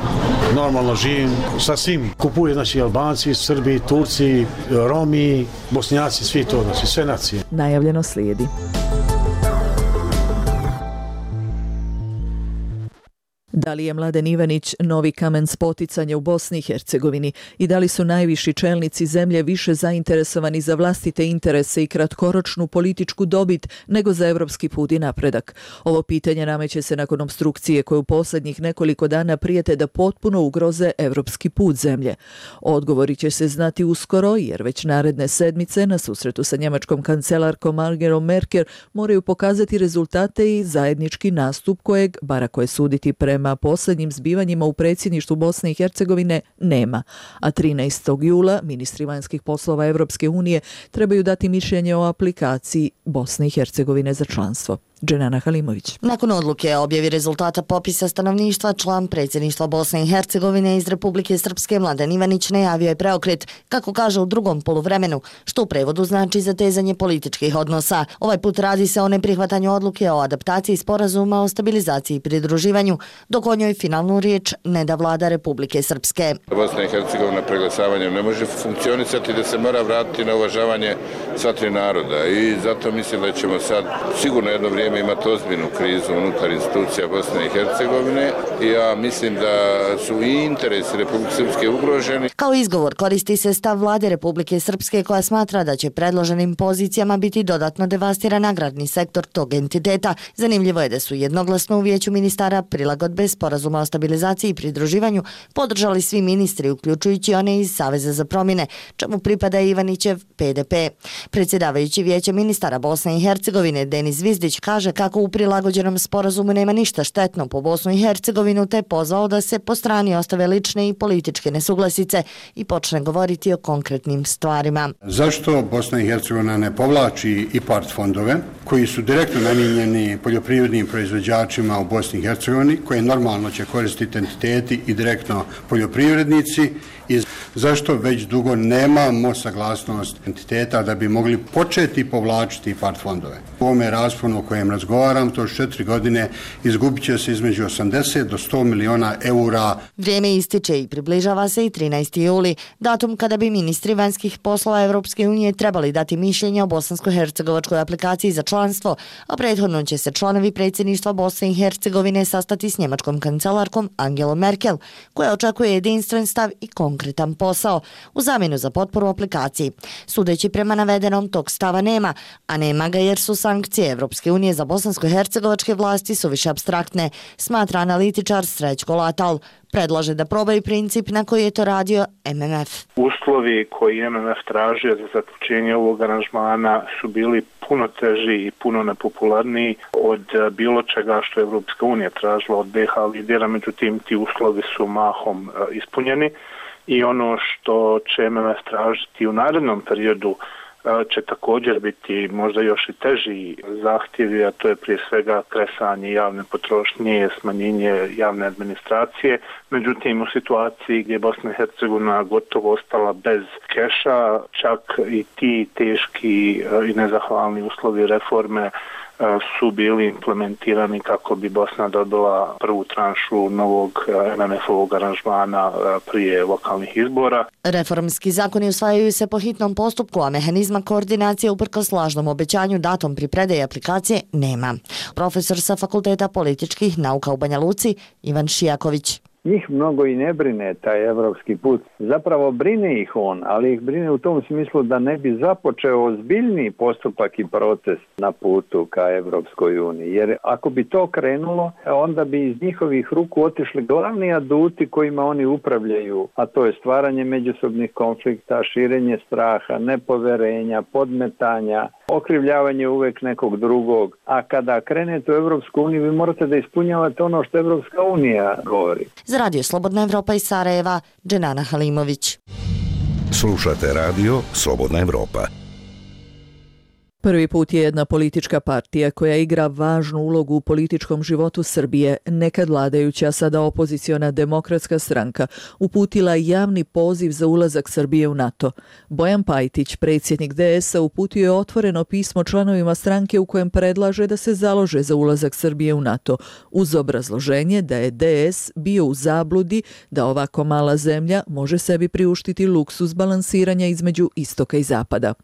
normalno živim sa svim. Kupuju znači Albanci, Srbi, Turci, Romi, Bosnjaci, svi to, znači sve nacije. Najavljeno slijedi. Da li je Mladen Ivanić novi kamen spoticanja u Bosni i Hercegovini i da li su najviši čelnici zemlje više zainteresovani za vlastite interese i kratkoročnu političku dobit nego za evropski put i napredak? Ovo pitanje nameće se nakon opstrukcije koje u posljednjih nekoliko dana prijete da potpuno ugroze evropski put zemlje. Odgovori će se znati uskoro jer već naredne sedmice na susretu sa njemačkom kancelarkom Angelom Merkel moraju pokazati rezultate i zajednički nastup kojeg, bar ako je suditi prema Prema posljednjim zbivanjima u predsjedništvu Bosne i Hercegovine nema, a trinaestog jula ministri vanjskih poslova Evropske unije trebaju dati mišljenje o aplikaciji Bosne i Hercegovine za članstvo. Dženana Halimović. Nakon odluke o objavi rezultata popisa stanovništva, član predsjedništva Bosne i Hercegovine iz Republike Srpske Mladen Ivanić najavio je preokret, kako kaže u drugom poluvremenu, što u prevodu znači zatezanje političkih odnosa. Ovaj put radi se o neprihvatanju odluke o adaptaciji sporazuma o stabilizaciji i pridruživanju, dok o njoj finalnu riječ ne da vlada Republike Srpske. Bosna i Hercegovina preglasavanjem ne može funkcionisati da se mora vratiti na uvažavanje sva tri naroda i zato mislim da ćemo sad sigurno jedno vrijeme vrijeme imati ozbiljnu krizu unutar institucija Bosne i Hercegovine i ja mislim da su i interesi Republike Srpske ugroženi. Kao izgovor koristi se stav vlade Republike Srpske koja smatra da će predloženim pozicijama biti dodatno devastiran agrarni sektor tog entiteta. Zanimljivo je da su jednoglasno u Vijeću ministara prilagodbe sporazuma o stabilizaciji i pridruživanju podržali svi ministri, uključujući one iz Saveza za promjene, čemu pripada Ivanićev P D P. Predsjedavajući Vijeća ministara Bosne i Hercegovine Denis Vizdić kaže kako u prilagođenom sporazumu nema ništa štetno po Bosnu i Hercegovinu, te pozvao da se po strani ostave lične i političke nesuglasice i počne govoriti o konkretnim stvarima. Zašto Bosna i Hercegovina ne povlači IPARD fondove koji su direktno namijenjeni poljoprivrednim proizvođačima u Bosni i Hercegovini, koje normalno će koristiti entiteti i direktno poljoprivrednici, i zašto već dugo nemamo saglasnost entiteta da bi mogli početi povlačiti IPARD fondove. U ovome rasponu o kojem razgovaram, to četiri godine, izgubit će se između osamdeset do sto miliona eura. Vrijeme ističe i približava se i trinaesti juli, datum kada bi ministri vanjskih poslova Evropske unije trebali dati mišljenje o bosansko-hercegovačkoj aplikaciji za članstvo, a prethodno će se članovi predsjedništva Bosne i Hercegovine sastati s njemačkom kancelarkom Angelom Merkel, koja očekuje jedinstven stav i konkretan posao u zamjenu za potporu aplikaciji. Sudeći prema navedenom, tog stava nema, a nema ga jer su sankcije Evropske unije za bosansko-hercegovačke vlasti suviše apstraktne, smatra analitičar Srećko Latal. Predlaže da probaju princip na koji je to radio M M F. Uslovi koji M M F tražio za zaključenje ovog aranžmana su bili puno teži i puno nepopularniji od bilo čega što je Evropska unija tražila od B iH lidera, međutim ti uslovi su mahom ispunjeni i ono što će M M F tražiti u narednom periodu će također biti možda još i teži zahtjevi, a to je prije svega kresanje javne potrošnje, smanjenje javne administracije. Međutim, u situaciji gdje je Bosna i Hercegovina gotovo ostala bez keša, čak i ti teški i nezahvalni uslovi reforme su bili implementirani kako bi Bosna dobila prvu tranšu novog M M F-ovog aranžmana prije lokalnih izbora. Reformski zakoni usvajaju se po hitnom postupku, a mehanizma koordinacije uprkos lažnom obećanju datom pri predaji aplikacije nema. Profesor sa Fakulteta političkih nauka u Banja Luci Ivan Šijaković. Njih mnogo i ne brine taj evropski put. Zapravo brine ih on, ali ih brine u tom smislu da ne bi započeo ozbiljniji postupak i proces na putu ka Evropskoj uniji. Jer ako bi to krenulo, onda bi iz njihovih ruku otišli glavni aduti kojima oni upravljaju, a to je stvaranje međusobnih konflikta, širenje straha, nepoverenja, podmetanja, okrivljavanje uvek nekog drugog. A kada krenete u Evropsku uniju, vi morate da ispunjavate ono što Evropska unija govori. Za Radio Slobodna Evropa iz Sarajeva, Dženana Halimović. Slušate radio Slobodna Evropa. Prvi put je jedna politička partija koja igra važnu ulogu u političkom životu Srbije, nekad vladajuća, sada opoziciona Demokratska stranka, uputila javni poziv za ulazak Srbije u NATO. Bojan Pajtić, predsjednik D S-a, uputio je otvoreno pismo članovima stranke u kojem predlaže da se založe za ulazak Srbije u NATO, uz obrazloženje da je D S bio u zabludi da ovako mala zemlja može sebi priuštiti luksuz balansiranja između istoka i zapada.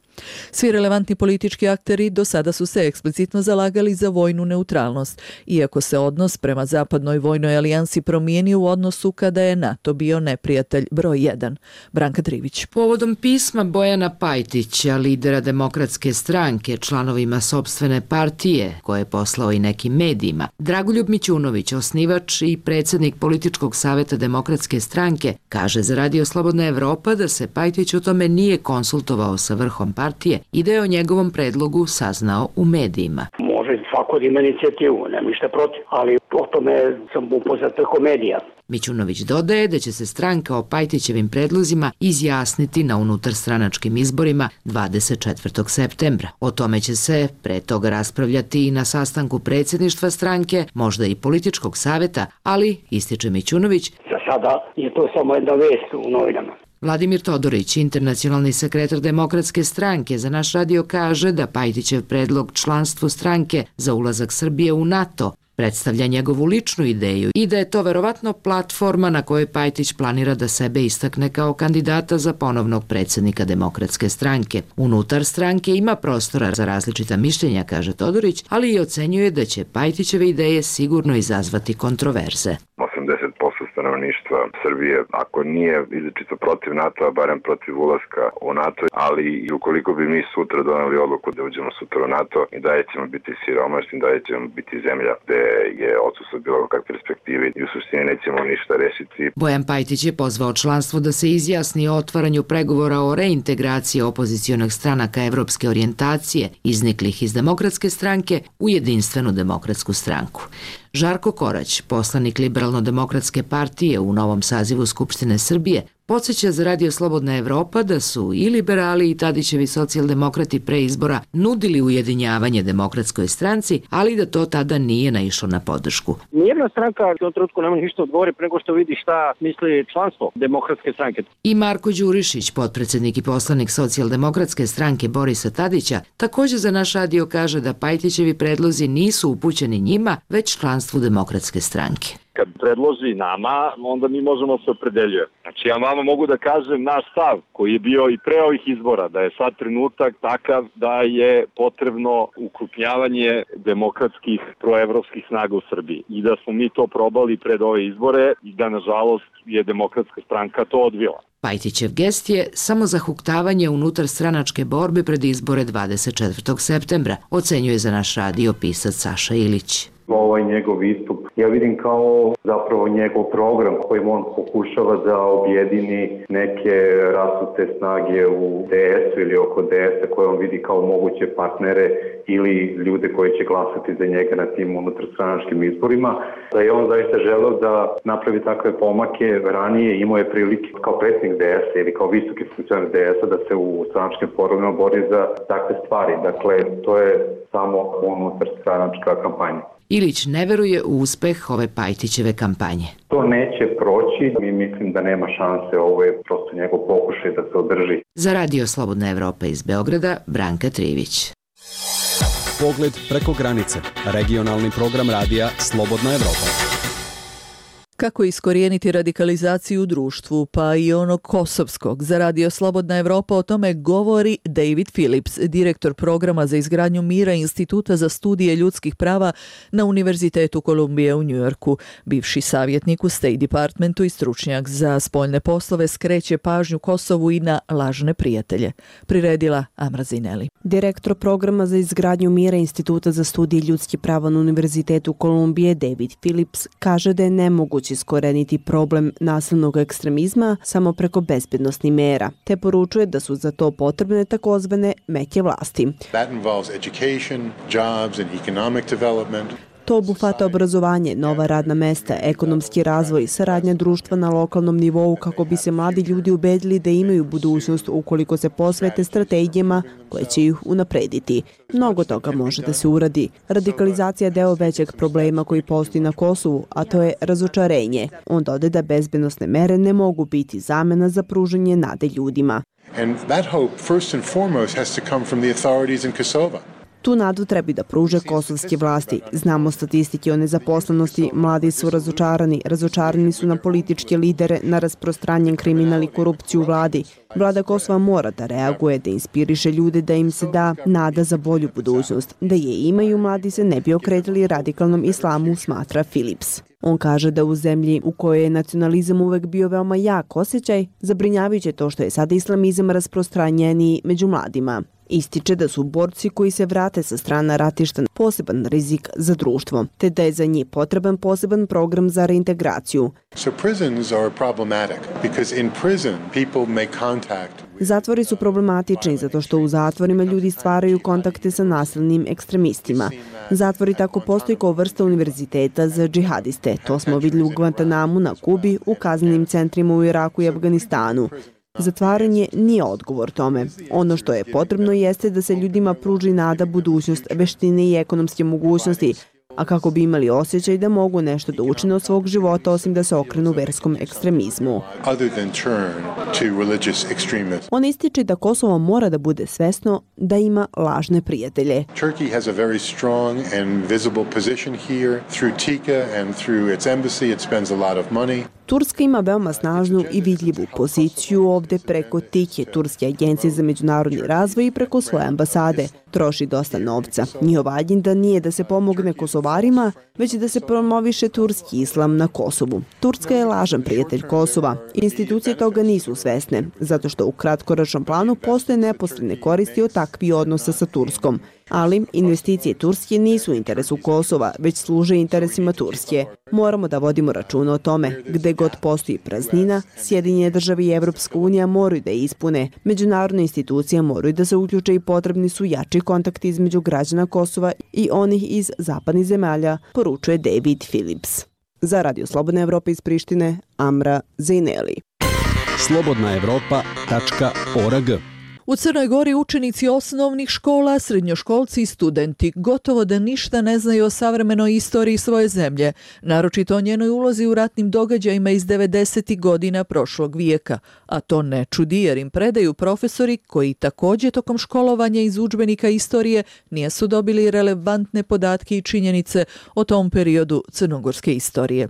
Svi relevantni politički akteri do sada su se eksplicitno zalagali za vojnu neutralnost, iako se odnos prema zapadnoj vojnoj alijansi promijenio u odnosu kada je NATO bio neprijatelj broj jedan. Branka Trivić. Povodom pisma Bojana Pajtića, lidera Demokratske stranke, članovima sopstvene partije, koje je poslao i nekim medijima, Dragoljub Mićunović, osnivač i predsjednik političkog savjeta Demokratske stranke, kaže za Radio Slobodna Evropa da se Pajtić o tome nije konsultovao sa vrhom partije i da je o njegovom predlogu saznao u medijima. Može svako da ima inicijativu, nema ništa protiv, ali o tome sam upoznat preko medija. Mićunović dodaje da će se stranka o Pajtićevim predlozima izjasniti na unutarstranačkim izborima dvadeset četvrtog septembra. O tome će se pre toga raspravljati i na sastanku predsjedništva stranke, možda i političkog savjeta, ali, ističe Mićunović, za sada je to samo jedna vest u novinama. Vladimir Todorić, internacionalni sekretar Demokratske stranke, za naš radio kaže da Pajtićev predlog članstvu stranke za ulazak Srbije u NATO Predstavlja njegovu ličnu ideju i da je to verovatno platforma na kojoj Pajtić planira da sebe istakne kao kandidata za ponovnog predsjednika Demokratske stranke. Unutar stranke ima prostora za različita mišljenja, kaže Todorić, ali i ocenjuje da će Pajtićeve ideje sigurno izazvati kontroverze. osamdeset posto stanovništva Srbije, ako nije izričito protiv NATO-a, barem protiv ulaska u NATO, ali i ukoliko bi mi sutra doneli odluku da uđemo sutra u NATO, i dalje ćemo biti siromašni, dalje ćemo biti zemlja gde je odsustvo bilo kakve perspektive i u suštini nećemo ništa rešiti. Bojan Pajtić je pozvao članstvo da se izjasni o otvaranju pregovora o reintegraciji opozicionih stranaka evropske orijentacije, izniklih iz Demokratske stranke, u jedinstvenu Demokratsku stranku. Žarko Korać, poslanik Liberalno-demokratske partije u novom sazivu Skupštine Srbije, podsjeća za Radio Slobodna Evropa da su i liberali i Tadićevi socijaldemokrati pre izbora nudili ujedinjavanje Demokratskoj stranci, ali da to tada nije naišlo na podršku. Nijedna stranka u tom trenutku nema ništa odgovori preko što vidi šta misli članstvo Demokratske stranke. I Marko Đurišić, potpredsednik i poslanik socijaldemokratske stranke Borisa Tadića, također za naš radio kaže da Pajtićevi predlozi nisu upućeni njima, već članstvu Demokratske stranke. Kad predloži nama, onda mi možemo se opredeljujemo. Znači ja vama mogu da kažem naš stav koji je bio i pre ovih izbora, da je sad trenutak takav da je potrebno ukrupnjavanje demokratskih proevropskih snaga u Srbiji i da smo mi to probali pred ove izbore i da nažalost je Demokratska stranka to odbila. Pajtićev gest je samo zahuktavanje unutar stranačke borbe pred izbore dvadeset četvrtog septembra, ocenjuje za naš radio pisac Saša Ilić. Ovaj njegov istup ja vidim kao zapravo njegov program kojim on pokušava da objedini neke rasute snage u D S-u ili oko D S-a koje on vidi kao moguće partnere ili ljude koji će glasati za njega na tim unutarstranačkim izborima. Da je on zaista želeo da napravi takve pomake ranije, imao je prilike kao predsjednik D S-a ili kao visoki funkcioner D S-a da se u stranačkim forumima bori za takve stvari. Dakle, to je samo unutarstranačka kampanja. Ilić ne veruje u uspeh ove Pajtićeve kampanje. To neće proći, mi mislim da nema šanse, ovo je prosto njegov pokušaj da se održi. Za Radio Slobodna Evropa iz Beograda, Branka Trivić. Pogled preko granice, regionalni program radija Slobodna Evropa. Kako iskorijeniti radikalizaciju u društvu, pa i onog kosovskog? Za Radio Slobodna Evropa o tome govori David Phillips, direktor programa za izgradnju mira Instituta za studije ljudskih prava na Univerzitetu Kolumbije u Njujorku. Bivši savjetnik u State Departmentu i stručnjak za spoljne poslove skreće pažnju Kosovu i na lažne prijatelje. Priredila Amra Zineli. Direktor programa za izgradnju mira Instituta za studije ljudskih prava na Univerzitetu Kolumbije David Phillips kaže da je nemoguće iskoreniti problem nasilnog ekstremizma samo preko bezbednosnih mera, te poručuje da su za to potrebne takozvane meke vlasti. That involves education, jobs and economic development. To obuhvata obrazovanje, nova radna mesta, ekonomski razvoj, saradnja društva na lokalnom nivou kako bi se mladi ljudi ubedili da imaju budućnost ukoliko se posvete strategijama koje će ih unaprediti. Mnogo toga može da se uradi. Radikalizacija je deo većeg problema koji postoji na Kosovu, a to je razočarenje. On dode da bezbednosne mere ne mogu biti zamena za pružanje nade ljudima. And that hope first and foremost has to come from the authorities in Kosovo. Tu nadu treba da pruže kosovske vlasti. Znamo statistike o nezaposlenosti, mladi su razočarani, razočarani su na političke lidere, na rasprostranjen kriminal i korupciju u vladi. Vlada Kosova mora da reaguje, da inspiriše ljude, da im se da nada za bolju budućnost. Da je imaju, mladi se ne bi okretali radikalnom islamu, smatra Phillips. On kaže da u zemlji u kojoj je nacionalizam uvek bio veoma jak osjećaj, zabrinjavajuće to što je sada islamizam rasprostranjeniji među mladima. Ističe da su borci koji se vrate sa strana ratišta poseban rizik za društvo, te da je za njih potreban poseban program za reintegraciju. So prisons are problematic because in prison people make contact. Zatvori su problematični zato što u zatvorima ljudi stvaraju kontakte sa nasilnim ekstremistima. Zatvori tako postoji kao vrsta univerziteta za džihadiste. To smo vidjeli u Guantanamu na Kubi, u kaznenim centrima u Iraku i Afganistanu. Zatvaranje nije odgovor tome. Ono što je potrebno jeste da se ljudima pruži nada, budućnost, veštine i ekonomske mogućnosti, a kako bi imali osjećaj da mogu nešto da učine od svog života osim da se okrenu verskom ekstremizmu. On ističe da Kosovo mora da bude svesno da ima lažne prijatelje. Turkey has a very strong and visible position here through T I C A and through its embassy. It spends a lot of money. Turska ima veoma snažnu i vidljivu poziciju ovde preko T I C A, Turske agencije za međunarodni razvoj, i preko svoje ambasade. Troši dosta novca. Njihova agenda nije da se pomogne Kosovarima, već da se promoviše turski islam na Kosovu. Turska je lažan prijatelj Kosova. Institucije toga nisu svesne, zato što u kratkoročnom planu postoje neposredne koristi od takvih odnosa sa Turskom. Ali investicije Turske nisu u interesu Kosova, već služe interesima Turske. Moramo da vodimo računa o tome. Gde god postoji praznina, Sjedinjene države i Evropska unija moraju da je ispune. Međunarodne institucije moraju da se uključe i potrebni su jači kontakti između građana Kosova i onih iz zapadnih zemalja, poručuje David Phillips. Za Radio Slobodna Evropa iz Prištine, Amra Zejneli. slobodna evropa tačka org. U Crnoj Gori učenici osnovnih škola, srednjoškolci i studenti gotovo da ništa ne znaju o savremenoj istoriji svoje zemlje, naročito o njenoj ulozi u ratnim događajima iz devedesetih godina prošlog vijeka. A to ne čudi jer im predaju profesori koji također tokom školovanja iz udžbenika istorije nisu dobili relevantne podatke i činjenice o tom periodu crnogorske istorije.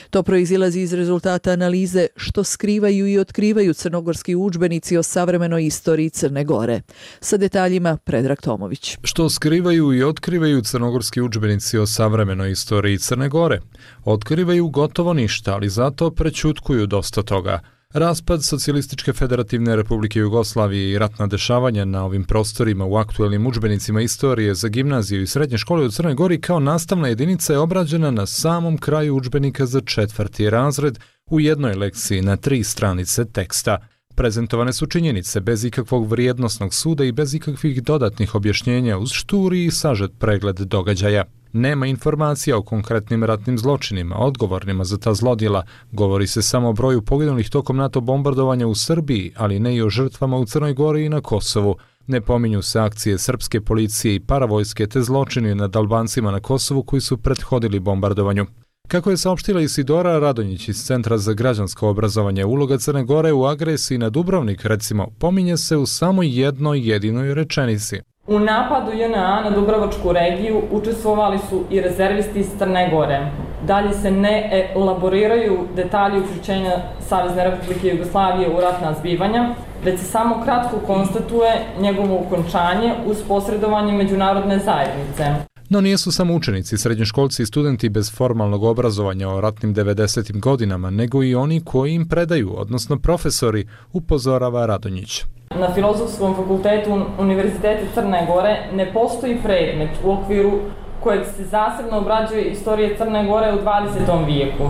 To proizilazi iz rezultata analize što skrivaju i otkrivaju crnogorski udžbenici o savremenoj istoriji Crne Gore. Sa detaljima Predrag Tomović. Što skrivaju i otkrivaju crnogorski udžbenici o savremenoj istoriji Crne Gore? Otkrivaju gotovo ništa, ali zato prećutkuju dosta toga. Raspad Socijalističke federativne republike Jugoslavije i ratna dešavanja na ovim prostorima u aktuelnim udžbenicima istorije za gimnaziju i srednje škole u Crnoj Gori kao nastavna jedinica je obrađena na samom kraju udžbenika za četvrti razred u jednoj lekciji na tri stranice teksta. Prezentovane su činjenice bez ikakvog vrijednosnog suda i bez ikakvih dodatnih objašnjenja uz šturi i sažet pregled događaja. Nema informacija o konkretnim ratnim zločinima, odgovornima za ta zlodjela. Govori se samo o broju poginulih tokom NATO bombardovanja u Srbiji, ali ne i o žrtvama u Crnoj Gori i na Kosovu. Ne pominju se akcije srpske policije i paravojske te zločini nad Albancima na Kosovu koji su prethodili bombardovanju. Kako je saopštila Isidora Radonjić iz Centra za građansko obrazovanje, uloga Crne Gore u agresiji na Dubrovnik, recimo, pominje se u samo jednoj jedinoj rečenici. U napadu J N A na Dubrovačku regiju učestvovali su i rezervisti iz Crne Gore. Dalje se ne elaboriraju detalji uključenja Savezne Republike Jugoslavije u ratna zbivanja, već se samo kratko konstatuje njegovo ukončanje uz posredovanje međunarodne zajednice. No nijesu samo učenici, srednjoškolci i studenti bez formalnog obrazovanja o ratnim devedesetim godinama, nego i oni koji im predaju, odnosno profesori, upozorava Radonjić. Na Filozofskom fakultetu Univerziteta Crne Gore ne postoji predmet u okviru kojeg se zasebno obrađuje istorija Crne Gore u dvadesetom vijeku.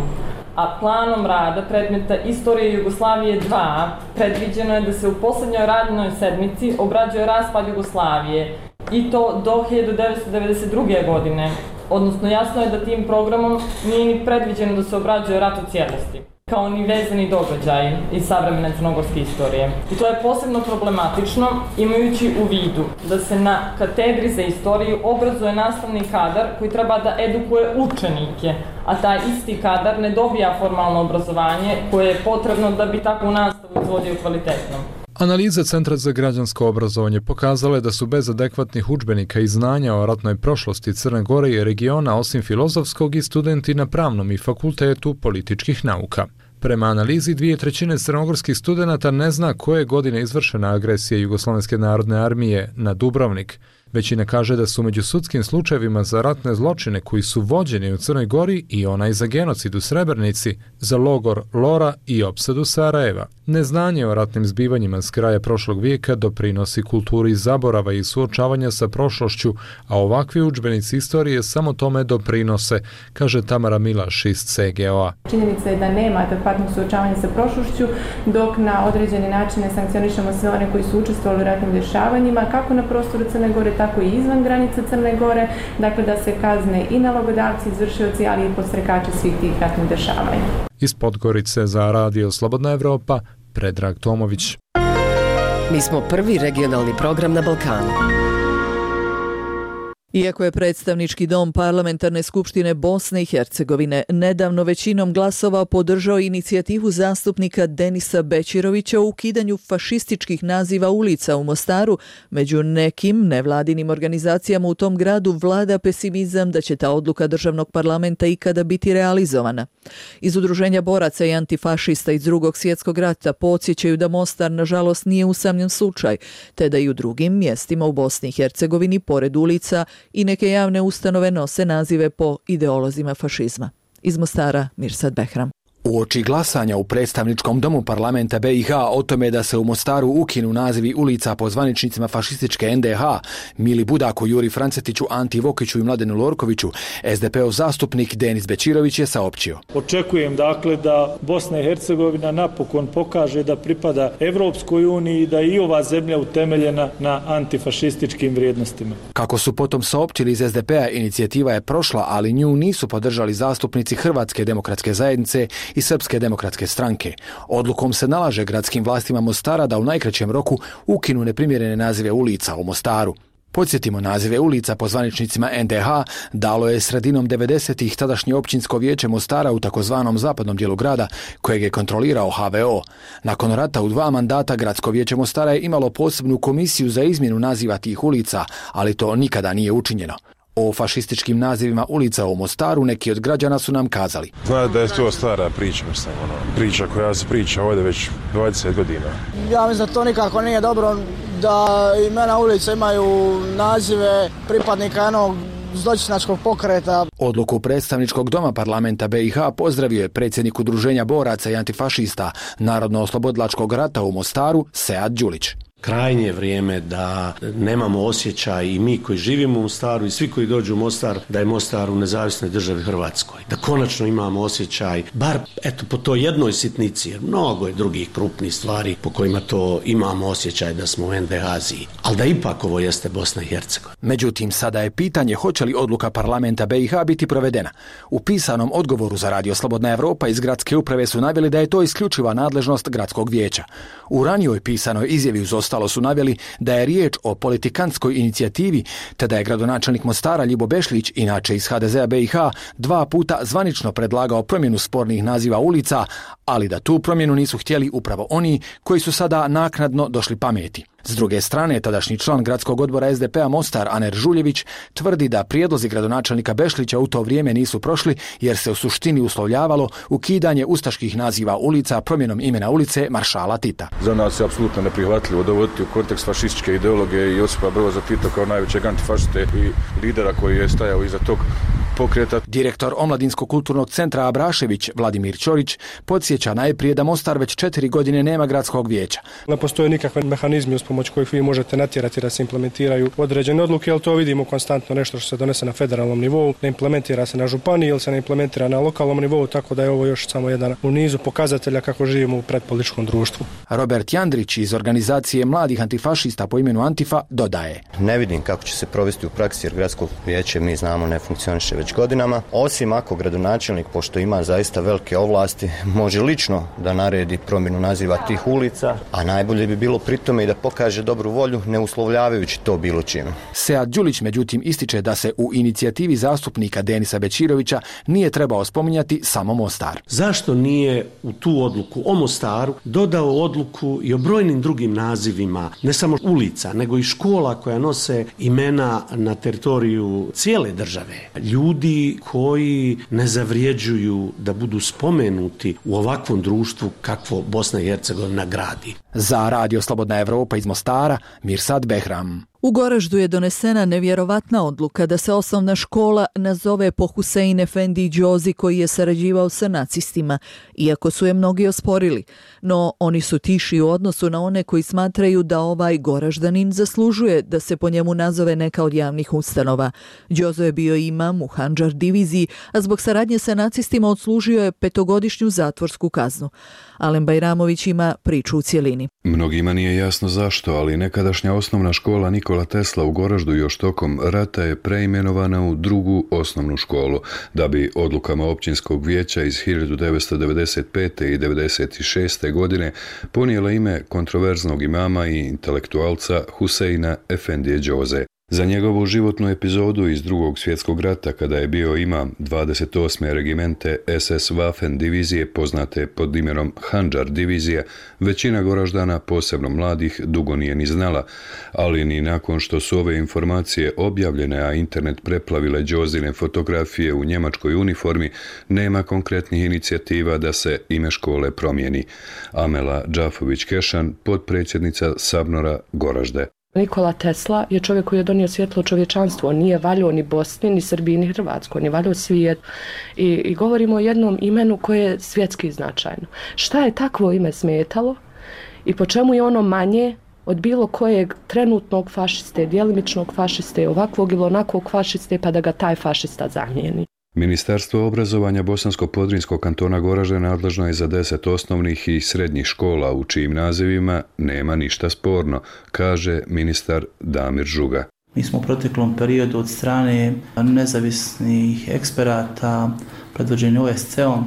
A planom rada predmeta Istorije Jugoslavije dva predviđeno je da se u posljednjoj radnoj sedmici obrađuje raspad Jugoslavije, i to do hiljadu devetsto devedeset druge. godine. Odnosno, jasno je da tim programom nije ni predviđeno da se obrađuje rat u cijelosti, kao ni vezani događaj iz savremene crnogorske istorije. I to je posebno problematično, imajući u vidu da se na katedri za istoriju obrazuje nastavni kadar koji treba da edukuje učenike, a taj isti kadar ne dobija formalno obrazovanje koje je potrebno da bi takvu nastavu izvodio kvalitetno. Analiza Centra za građansko obrazovanje pokazala je da su bez adekvatnih udžbenika i znanja o ratnoj prošlosti Crne Gore i regiona, osim filozofskog, i studenti na Pravnom i Fakultetu političkih nauka. Prema analizi, dvije trećine crnogorskih studenata ne zna koje godine izvršena agresija Jugoslovenske narodne armije na Dubrovnik. Većina kaže da su među sudskim slučajevima za ratne zločine koji su vođeni u Crnoj Gori i onaj za genocid u Srebrenici, za logor Lora i opsadu Sarajeva. Neznanje o ratnim zbivanjima s kraja prošlog vijeka doprinosi kulturi zaborava i suočavanja sa prošlošću, a ovakvi udžbenici istorije samo tome doprinose, kaže Tamara Milaš iz C G O A. Činjenica je da nema adekvatnog suočavanja sa prošlošću, dok na određeni način ne sankcionišemo sve one koji su učestvovali u ratnim dešavanjima, kako na prostoru Crne Gore, tako i izvan granica Crne Gore, dakle da se kazne i nalogodavci, izvršioci, ali i podstrekači svih tih ratnih dešavanja. Iz Podgorice za Radio Slobodna Evropa, Predrag Tomović. Mi smo prvi regionalni program na Balkanu. Iako je predstavnički dom Parlamentarne skupštine Bosne i Hercegovine nedavno većinom glasova podržao inicijativu zastupnika Denisa Bećirovića u ukidanju fašističkih naziva ulica u Mostaru, među nekim nevladinim organizacijama u tom gradu vlada pesimizam da će ta odluka državnog parlamenta ikada biti realizovana. Iz Udruženja boraca i antifašista iz Drugog svjetskog rata podsjećaju da Mostar nažalost nije usamljen slučaj, te da i u drugim mjestima u Bosni i Hercegovini pored ulica i neke javne ustanove nose nazive po ideolozima fašizma. Iz Mostara, Mirsad Behram. Uoči glasanja u predstavničkom domu parlamenta B i H o tome da se u Mostaru ukinu nazivi ulica po zvaničnicima fašističke N D H, Mili Budaku, Juri Francetiću, Anti Vokiću i Mladenu Lorkoviću, S D P-ov zastupnik Denis Bećirović je saopćio. Očekujem dakle da Bosna i Hercegovina napokon pokaže da pripada Evropskoj uniji i da je i ova zemlja utemeljena na antifašističkim vrijednostima. Kako su potom saopćili iz S D P-a, inicijativa je prošla, ali nju nisu podržali zastupnici Hrvatske demokratske zajednice i Srpske demokratske stranke. Odlukom se nalaže gradskim vlastima Mostara da u najkraćem roku ukinu neprimjerene nazive ulica u Mostaru. Podsjetimo, nazive ulica po zvaničnicima N D H dalo je sredinom devedesetih tadašnje općinsko vijeće Mostara u takozvanom zapadnom dijelu grada, kojeg je kontrolirao H V O. Nakon rata u dva mandata gradsko vijeće Mostara je imalo posebnu komisiju za izmjenu naziva tih ulica, ali to nikada nije učinjeno. O fašističkim nazivima ulica u Mostaru neki od građana su nam kazali. Zna da je to stara priča, mislim, ono, priča koja se priča ovdje već dvadeset godina. Ja mislim da to nikako nije dobro da imena ulica imaju nazive pripadnika jednog zločinačkog pokreta. Odluku predstavničkog doma parlamenta B i H pozdravio je predsjednik Udruženja boraca i antifašista Narodno-oslobodilačkog rata u Mostaru, Sead Đulić. Krajnje je vrijeme da nemamo osjećaj i mi koji živimo u Mostaru i svi koji dođu u Mostar da je Mostar u nezavisnoj državi Hrvatskoj. Da konačno imamo osjećaj, bar eto po toj jednoj sitnici, jer mnogo je drugih krupnih stvari po kojima to imamo osjećaj da smo u N D H-ziji. Ali da ipak ovo jeste Bosna i Hercegovina. Međutim, sada je pitanje hoće li odluka parlamenta B i H biti provedena. U pisanom odgovoru za Radio Slobodna Evropa iz gradske uprave su naveli da je to isključiva nadležnost gradskog vijeća. U ranijoj pisanoj izjavi uz ostalo su naveli da je riječ o politikantskoj inicijativi, te da je gradonačelnik Mostara Ljibo Bešlić, inače iz H D Z-a B i H, dva puta zvanično predlagao promjenu spornih naziva ulica, ali da tu promjenu nisu htjeli upravo oni koji su sada naknadno došli pameti. S druge strane, tadašnji član gradskog odbora S D P-a Mostar, Aner Žuljević, tvrdi da prijedlozi gradonačelnika Bešlića u to vrijeme nisu prošli jer se u suštini uslovljavalo ukidanje ustaških naziva ulica promjenom imena ulice Maršala Tita. Za nas je apsolutno neprihvatljivo dovoditi u kontekst fašističke ideologije i Josipa Broza Tita kao najvećeg antifašiste i lidera koji je stajao iza tog pokreta. Direktor Omladinskog kulturnog centra Abrašević, Vladimir Ćorić, podsjeća najprije da Mostar već četiri godine nema gradskog vijeća. Ne postoje nikakve mehanizmi uz pomoć kojih vi možete natjerati da se implementiraju određene odluke, ali to vidimo konstantno nešto što se donese na federalnom nivou, ne implementira se na županiji ili se ne implementira na lokalnom nivou, tako da je ovo još samo jedan u nizu pokazatelja kako živimo u predpolitičkom društvu. Robert Jandrić iz organizacije mladih antifašista po imenu Antifa dodaje. Ne vidim kako će se provesti u praksi jer gradsko vijeće mi znamo ne funkcioniše već godinama, osim ako gradonačelnik, pošto ima zaista velike ovlasti, može lično da naredi promjenu naziva tih ulica, a najbolje bi bilo pritome i da pokaže dobru volju, ne uslovljavajući to bilo čime. Sead Đulić međutim ističe da se u inicijativi zastupnika Denisa Bećirovića nije trebao spominjati samo Mostar. Zašto nije u tu odluku o Mostaru dodao odluku i o brojnim drugim nazivima, ne samo ulica, nego i škola koja nose imena na teritoriju cijele države? Ljudi koji ne zavrijeđuju da budu spomenuti u ovakvom društvu kakvo Bosna i Hercegovina gradi. Za Radio Slobodna Evropa iz Mostara, Mirsad Behram. U Goraždu je donesena nevjerovatna odluka da se osnovna škola nazove po Husein Efendi Đozi koji je sarađivao sa nacistima, iako su je mnogi osporili. No oni su tiši u odnosu na one koji smatraju da ovaj Goraždanin zaslužuje da se po njemu nazove neka od javnih ustanova. Đozo je bio imam u Handžar diviziji, a zbog saradnje sa nacistima odslužio je petogodišnju zatvorsku kaznu. Alen Bajramović ima priču u cjelini. Mnogima nije jasno zašto, ali nekadašnja osnovna škola Nikola Tesla u Goraždu još tokom rata je preimenovana u drugu osnovnu školu, da bi odlukama općinskog vijeća iz hiljadu devetsto devedeset pete. i devedeset šeste. godine ponijela ime kontroverznog imama i intelektualca Huseina Efendije Đoze. Za njegovu životnu epizodu iz drugog svjetskog rata, kada je bio imam dvadeset osme regimente es es Waffen divizije, poznate pod imenom Handžar divizija, većina Goraždana, posebno mladih, dugo nije ni znala, ali ni nakon što su ove informacije objavljene, a internet preplavile Đozine fotografije u njemačkoj uniformi, nema konkretnih inicijativa da se ime škole promijeni. Amela Đafović-Kešan, potpredsjednica Sabnora Goražde. Nikola Tesla je čovjek koji je donio svjetlo čovječanstvu. On nije valjao ni Bosni, ni Srbiji, ni Hrvatskoj. On je valjao svijet. I, I govorimo o jednom imenu koje je svjetski značajno. Šta je takvo ime smetalo i po čemu je ono manje od bilo kojeg trenutnog fašiste, djelimičnog fašiste, ovakvog ili onakvog fašiste, pa da ga taj fašista zamijeni? Ministarstvo obrazovanja Bosansko-Podrinjskog kantona Goražde nadležno je za deset osnovnih i srednjih škola u čijim nazivima nema ništa sporno, kaže ministar Damir Žuga. Mi smo u proteklom periodu od strane nezavisnih eksperata predvođeni O S C-om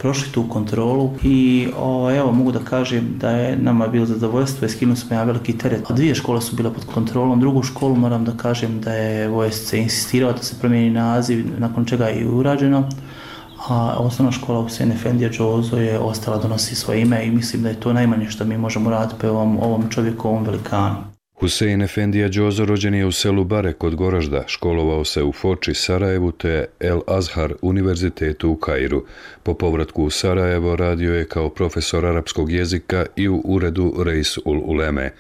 prošli tu kontrolu i o, evo mogu da kažem da je nama bilo zadovoljstvo i skinuo smo ja veliki teret. Dvije škole su bile pod kontrolom, drugu školu moram da kažem da je O S C insistirao da se promijeni naziv, nakon čega je i urađeno, a osnovna škola Husein Efendija Đozo je ostala donosi svoje ime i mislim da je to najmanje što mi možemo raditi po ovom, ovom čovjeku, ovom velikanu. Husein Efendija Đozo rođen je u selu Bare kod Goražda, školovao se u Foči, Sarajevu te El Azhar univerzitetu u Kairu. Po povratku u Sarajevo radio je kao profesor arapskog jezika i u uredu Reis ul Uleme.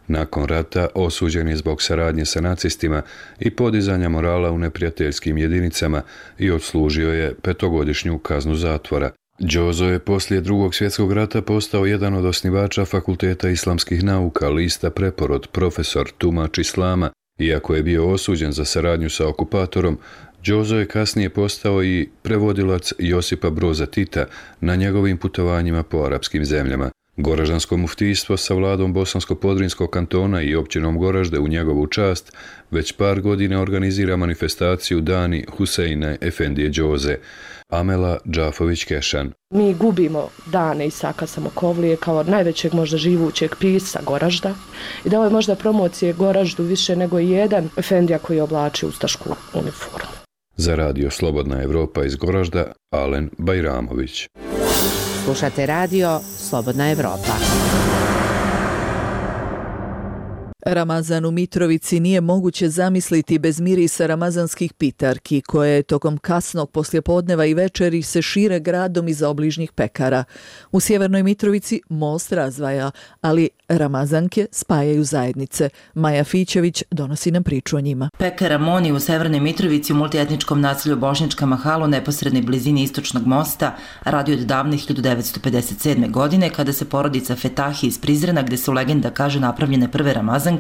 Nakon rata osuđen je zbog saradnje sa nacistima i podizanja morala u neprijateljskim jedinicama i odslužio je petogodišnju kaznu zatvora. Đozo je poslije drugog svjetskog rata postao jedan od osnivača Fakulteta islamskih nauka, lista Preporod, profesor, tumač islama. Iako je bio osuđen za saradnju sa okupatorom, Đozo je kasnije postao i prevodilac Josipa Broza Tita na njegovim putovanjima po arapskim zemljama. Goraždansko muftijstvo sa vladom Bosansko-Podrinjskog kantona i općinom Goražde u njegovu čast već par godina organizira manifestaciju Dani Huseina Efendije Đoze. Amela Đafović-Kešan. Mi gubimo dane Isaka Samokovlije kao najvećeg možda živućeg pisa Goražda i da ovo je možda promocije Goraždu više nego jedan Efendija koji oblači ustašku uniformu. Za radio Slobodna Evropa iz Goražda, Alen Bajramović. Slušate radio Slobodna Evropa. Ramazan u Mitrovici nije moguće zamisliti bez mirisa ramazanskih pitarki, koje tokom kasnog poslijepodneva i večeri se šire gradom iza obližnjih pekara. U sjevernoj Mitrovici most razdvaja, ali ramazanke spajaju zajednice. Maja Fićević donosi nam priču o njima. Pekara Moni u severnoj Mitrovici u multietničkom naselju Bošnjačka Mahala u neposrednoj blizini istočnog mosta radi od davne hiljadu devetsto pedeset sedme. godine, kada se porodica Fetahi iz Prizrena, gde su legenda kaže napravljene prve ramazanke,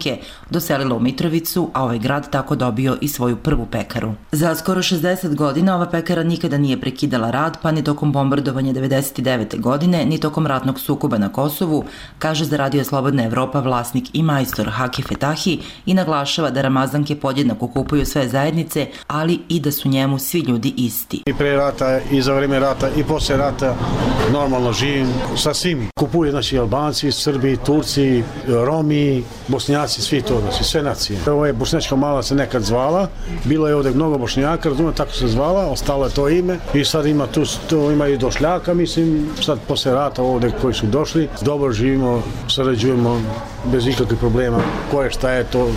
doselila u Mitrovicu, a ovaj grad tako dobio i svoju prvu pekaru. Za skoro šezdeset godina ova pekara nikada nije prekidala rad, pa ni tokom bombardovanja devedeset devete. godine, ni tokom ratnog sukoba na Kosovu, kaže za radio Slobodna Evropa vlasnik i majstor Haki Fetahi i naglašava da ramazanke podjednako kupuju sve zajednice, ali i da su njemu svi ljudi isti. I pre rata, i za vreme rata, i posle rata normalno živim sa svimi. Kupuju znači Albanci, Srbi, Turci, Romi, Bosnjaci, svi to, znači sve nacije. Ovo je Bošnjačka Mala se nekad zvala, bilo je ovdje mnogo Bošnjaka, razumijem, tako se zvala, ostalo je to ime i sad ima tu, tu ima i došljaka, mislim, sad posle rata ovdje koji su došli, dobro živimo, sarađujemo bez ikakvih problema, koje šta je to,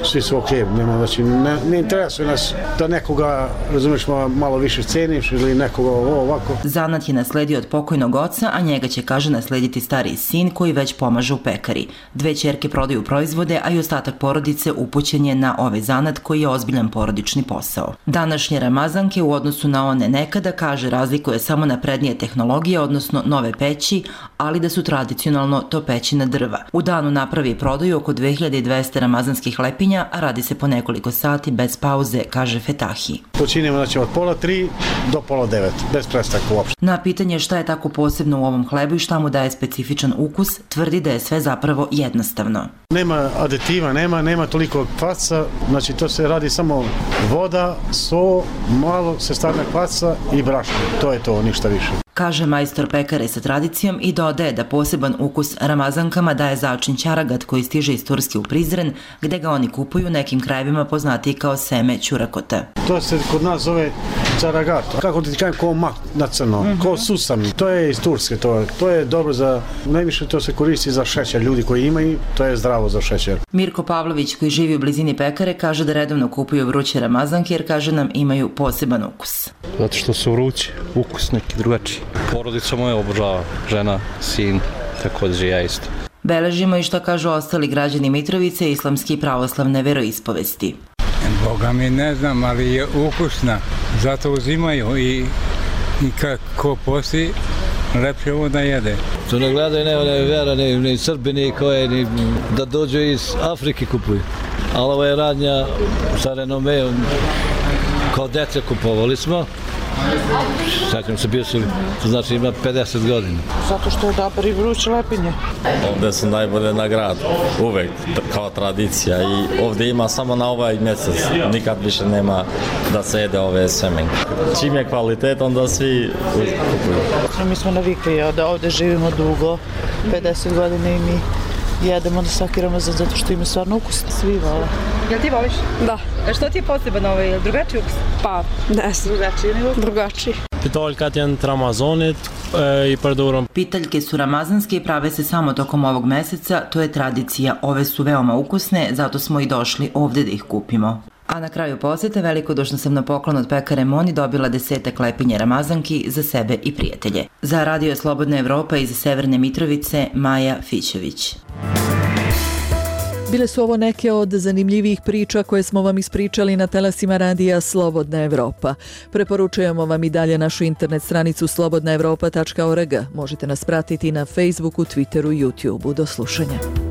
svi su ok, nema, znači, ne, ne interesuje nas da nekoga, razumiješ, malo više ceniš ili nekoga ovo, ovako. Zanat je nasledio od pokojnog oca, a njega će, kaže, naslediti stariji sin koji već pomaže u pekari. Dve ćerke prodaju proizvode, a i ostatak porodice upućen je na ovaj zanat koji je ozbiljan porodični posao. Današnje ramazanke u odnosu na one nekada, kaže, razlikuje samo naprednije tehnologije, odnosno nove peći, ali da su tradicionalno to peći na drva. U danu napravi i prodaju oko dve hiljade dvesta ramazanskih lepinja, a radi se po nekoliko sati bez pauze, kaže Fetahi. Počinjemo znači od pola tri do pola devet, bez prestanka uopšte. Na pitanje šta je tako posebno u ovom hlebu i šta mu daje specifičan ukus, tvrdi da je sve zapravo jednostavno. Nema aditiva, nema, nema toliko kvaca, znači to se radi samo voda, so, malo se stavlja kvaca i brašno, to je to, ništa više. kaže majstor pekare sa tradicijom i dodaje da poseban ukus ramazankama daje začin ćaragat koji stiže iz Turske u Prizren, gde ga oni kupuju u nekim krajevima poznatiji kao seme ćurakota. To se kod nas zove ćaragat. Kako ti kažem, ko mak na crno, mm-hmm. ko susam. To je iz Turske. To, to je dobro za, najviše to se koristi za šećer. Ljudi koji imaju, to je zdravo za šećer. Mirko Pavlović, koji živi u blizini pekare, kaže da redovno kupuju vruće ramazanke jer, kaže, nam imaju poseban ukus. Zato što su vrući, ukus neki drugačiji. Porodica moja obožava, žena, sin, također ja isto. Beležimo i što kažu ostali građani Mitrovice islamske i pravoslavne veroispovesti. Boga mi ne znam, ali je ukusna, zato uzimaju i, i kako posti, lepše ovo da jede. To ne gledaju ne one vera, ni, ni Srbi, ni koje, ni da dođu iz Afrike kupuju. Ali ovo je radnja sa renomeom, kao dece kupovali smo. Sjećam se, bio su, to znači ima pedeset godina. Zato što je dobar i vruće lepinje. Ovdje su najbolje na gradu, uvek, kao tradicija. I ovdje ima samo na ovaj mjesec, nikad više nema da se jede ove semenke. Čim je kvalitet, onda svi kupuju. Mi smo navikli da ovdje živimo dugo, pedeset godina i mi jedemo na svaki Ramazan zato što ima stvarno ukus. Svi vole. Jel ti voliš? Da. A što ti je poseban ovaj? Je drugačiji ukus? Pa, ne znam. Drugačiji nego? Drugačiji. Pitaljkat janë Ramazanit i përdorom. Pitaljke su ramazanske i prave se samo tokom ovog meseca, to je tradicija. Ove su veoma ukusne, zato smo i došli ovde da ih kupimo. A na kraju posete velikodušno sam na poklon od pekare Moni dobila desetak lepinje ramazanki za sebe i prijatelje. Za Radio Slobodna Evropa iz Severne Mitrovice, Maja Fićević. Bile su ovo neke od zanimljivih priča koje smo vam ispričali na talasima radija Slobodna Evropa. Preporučujemo vam i dalje našu internet stranicu slobodna evropa tačka org. Možete nas pratiti na Facebooku, Twitteru i YouTubeu. Do slušanja.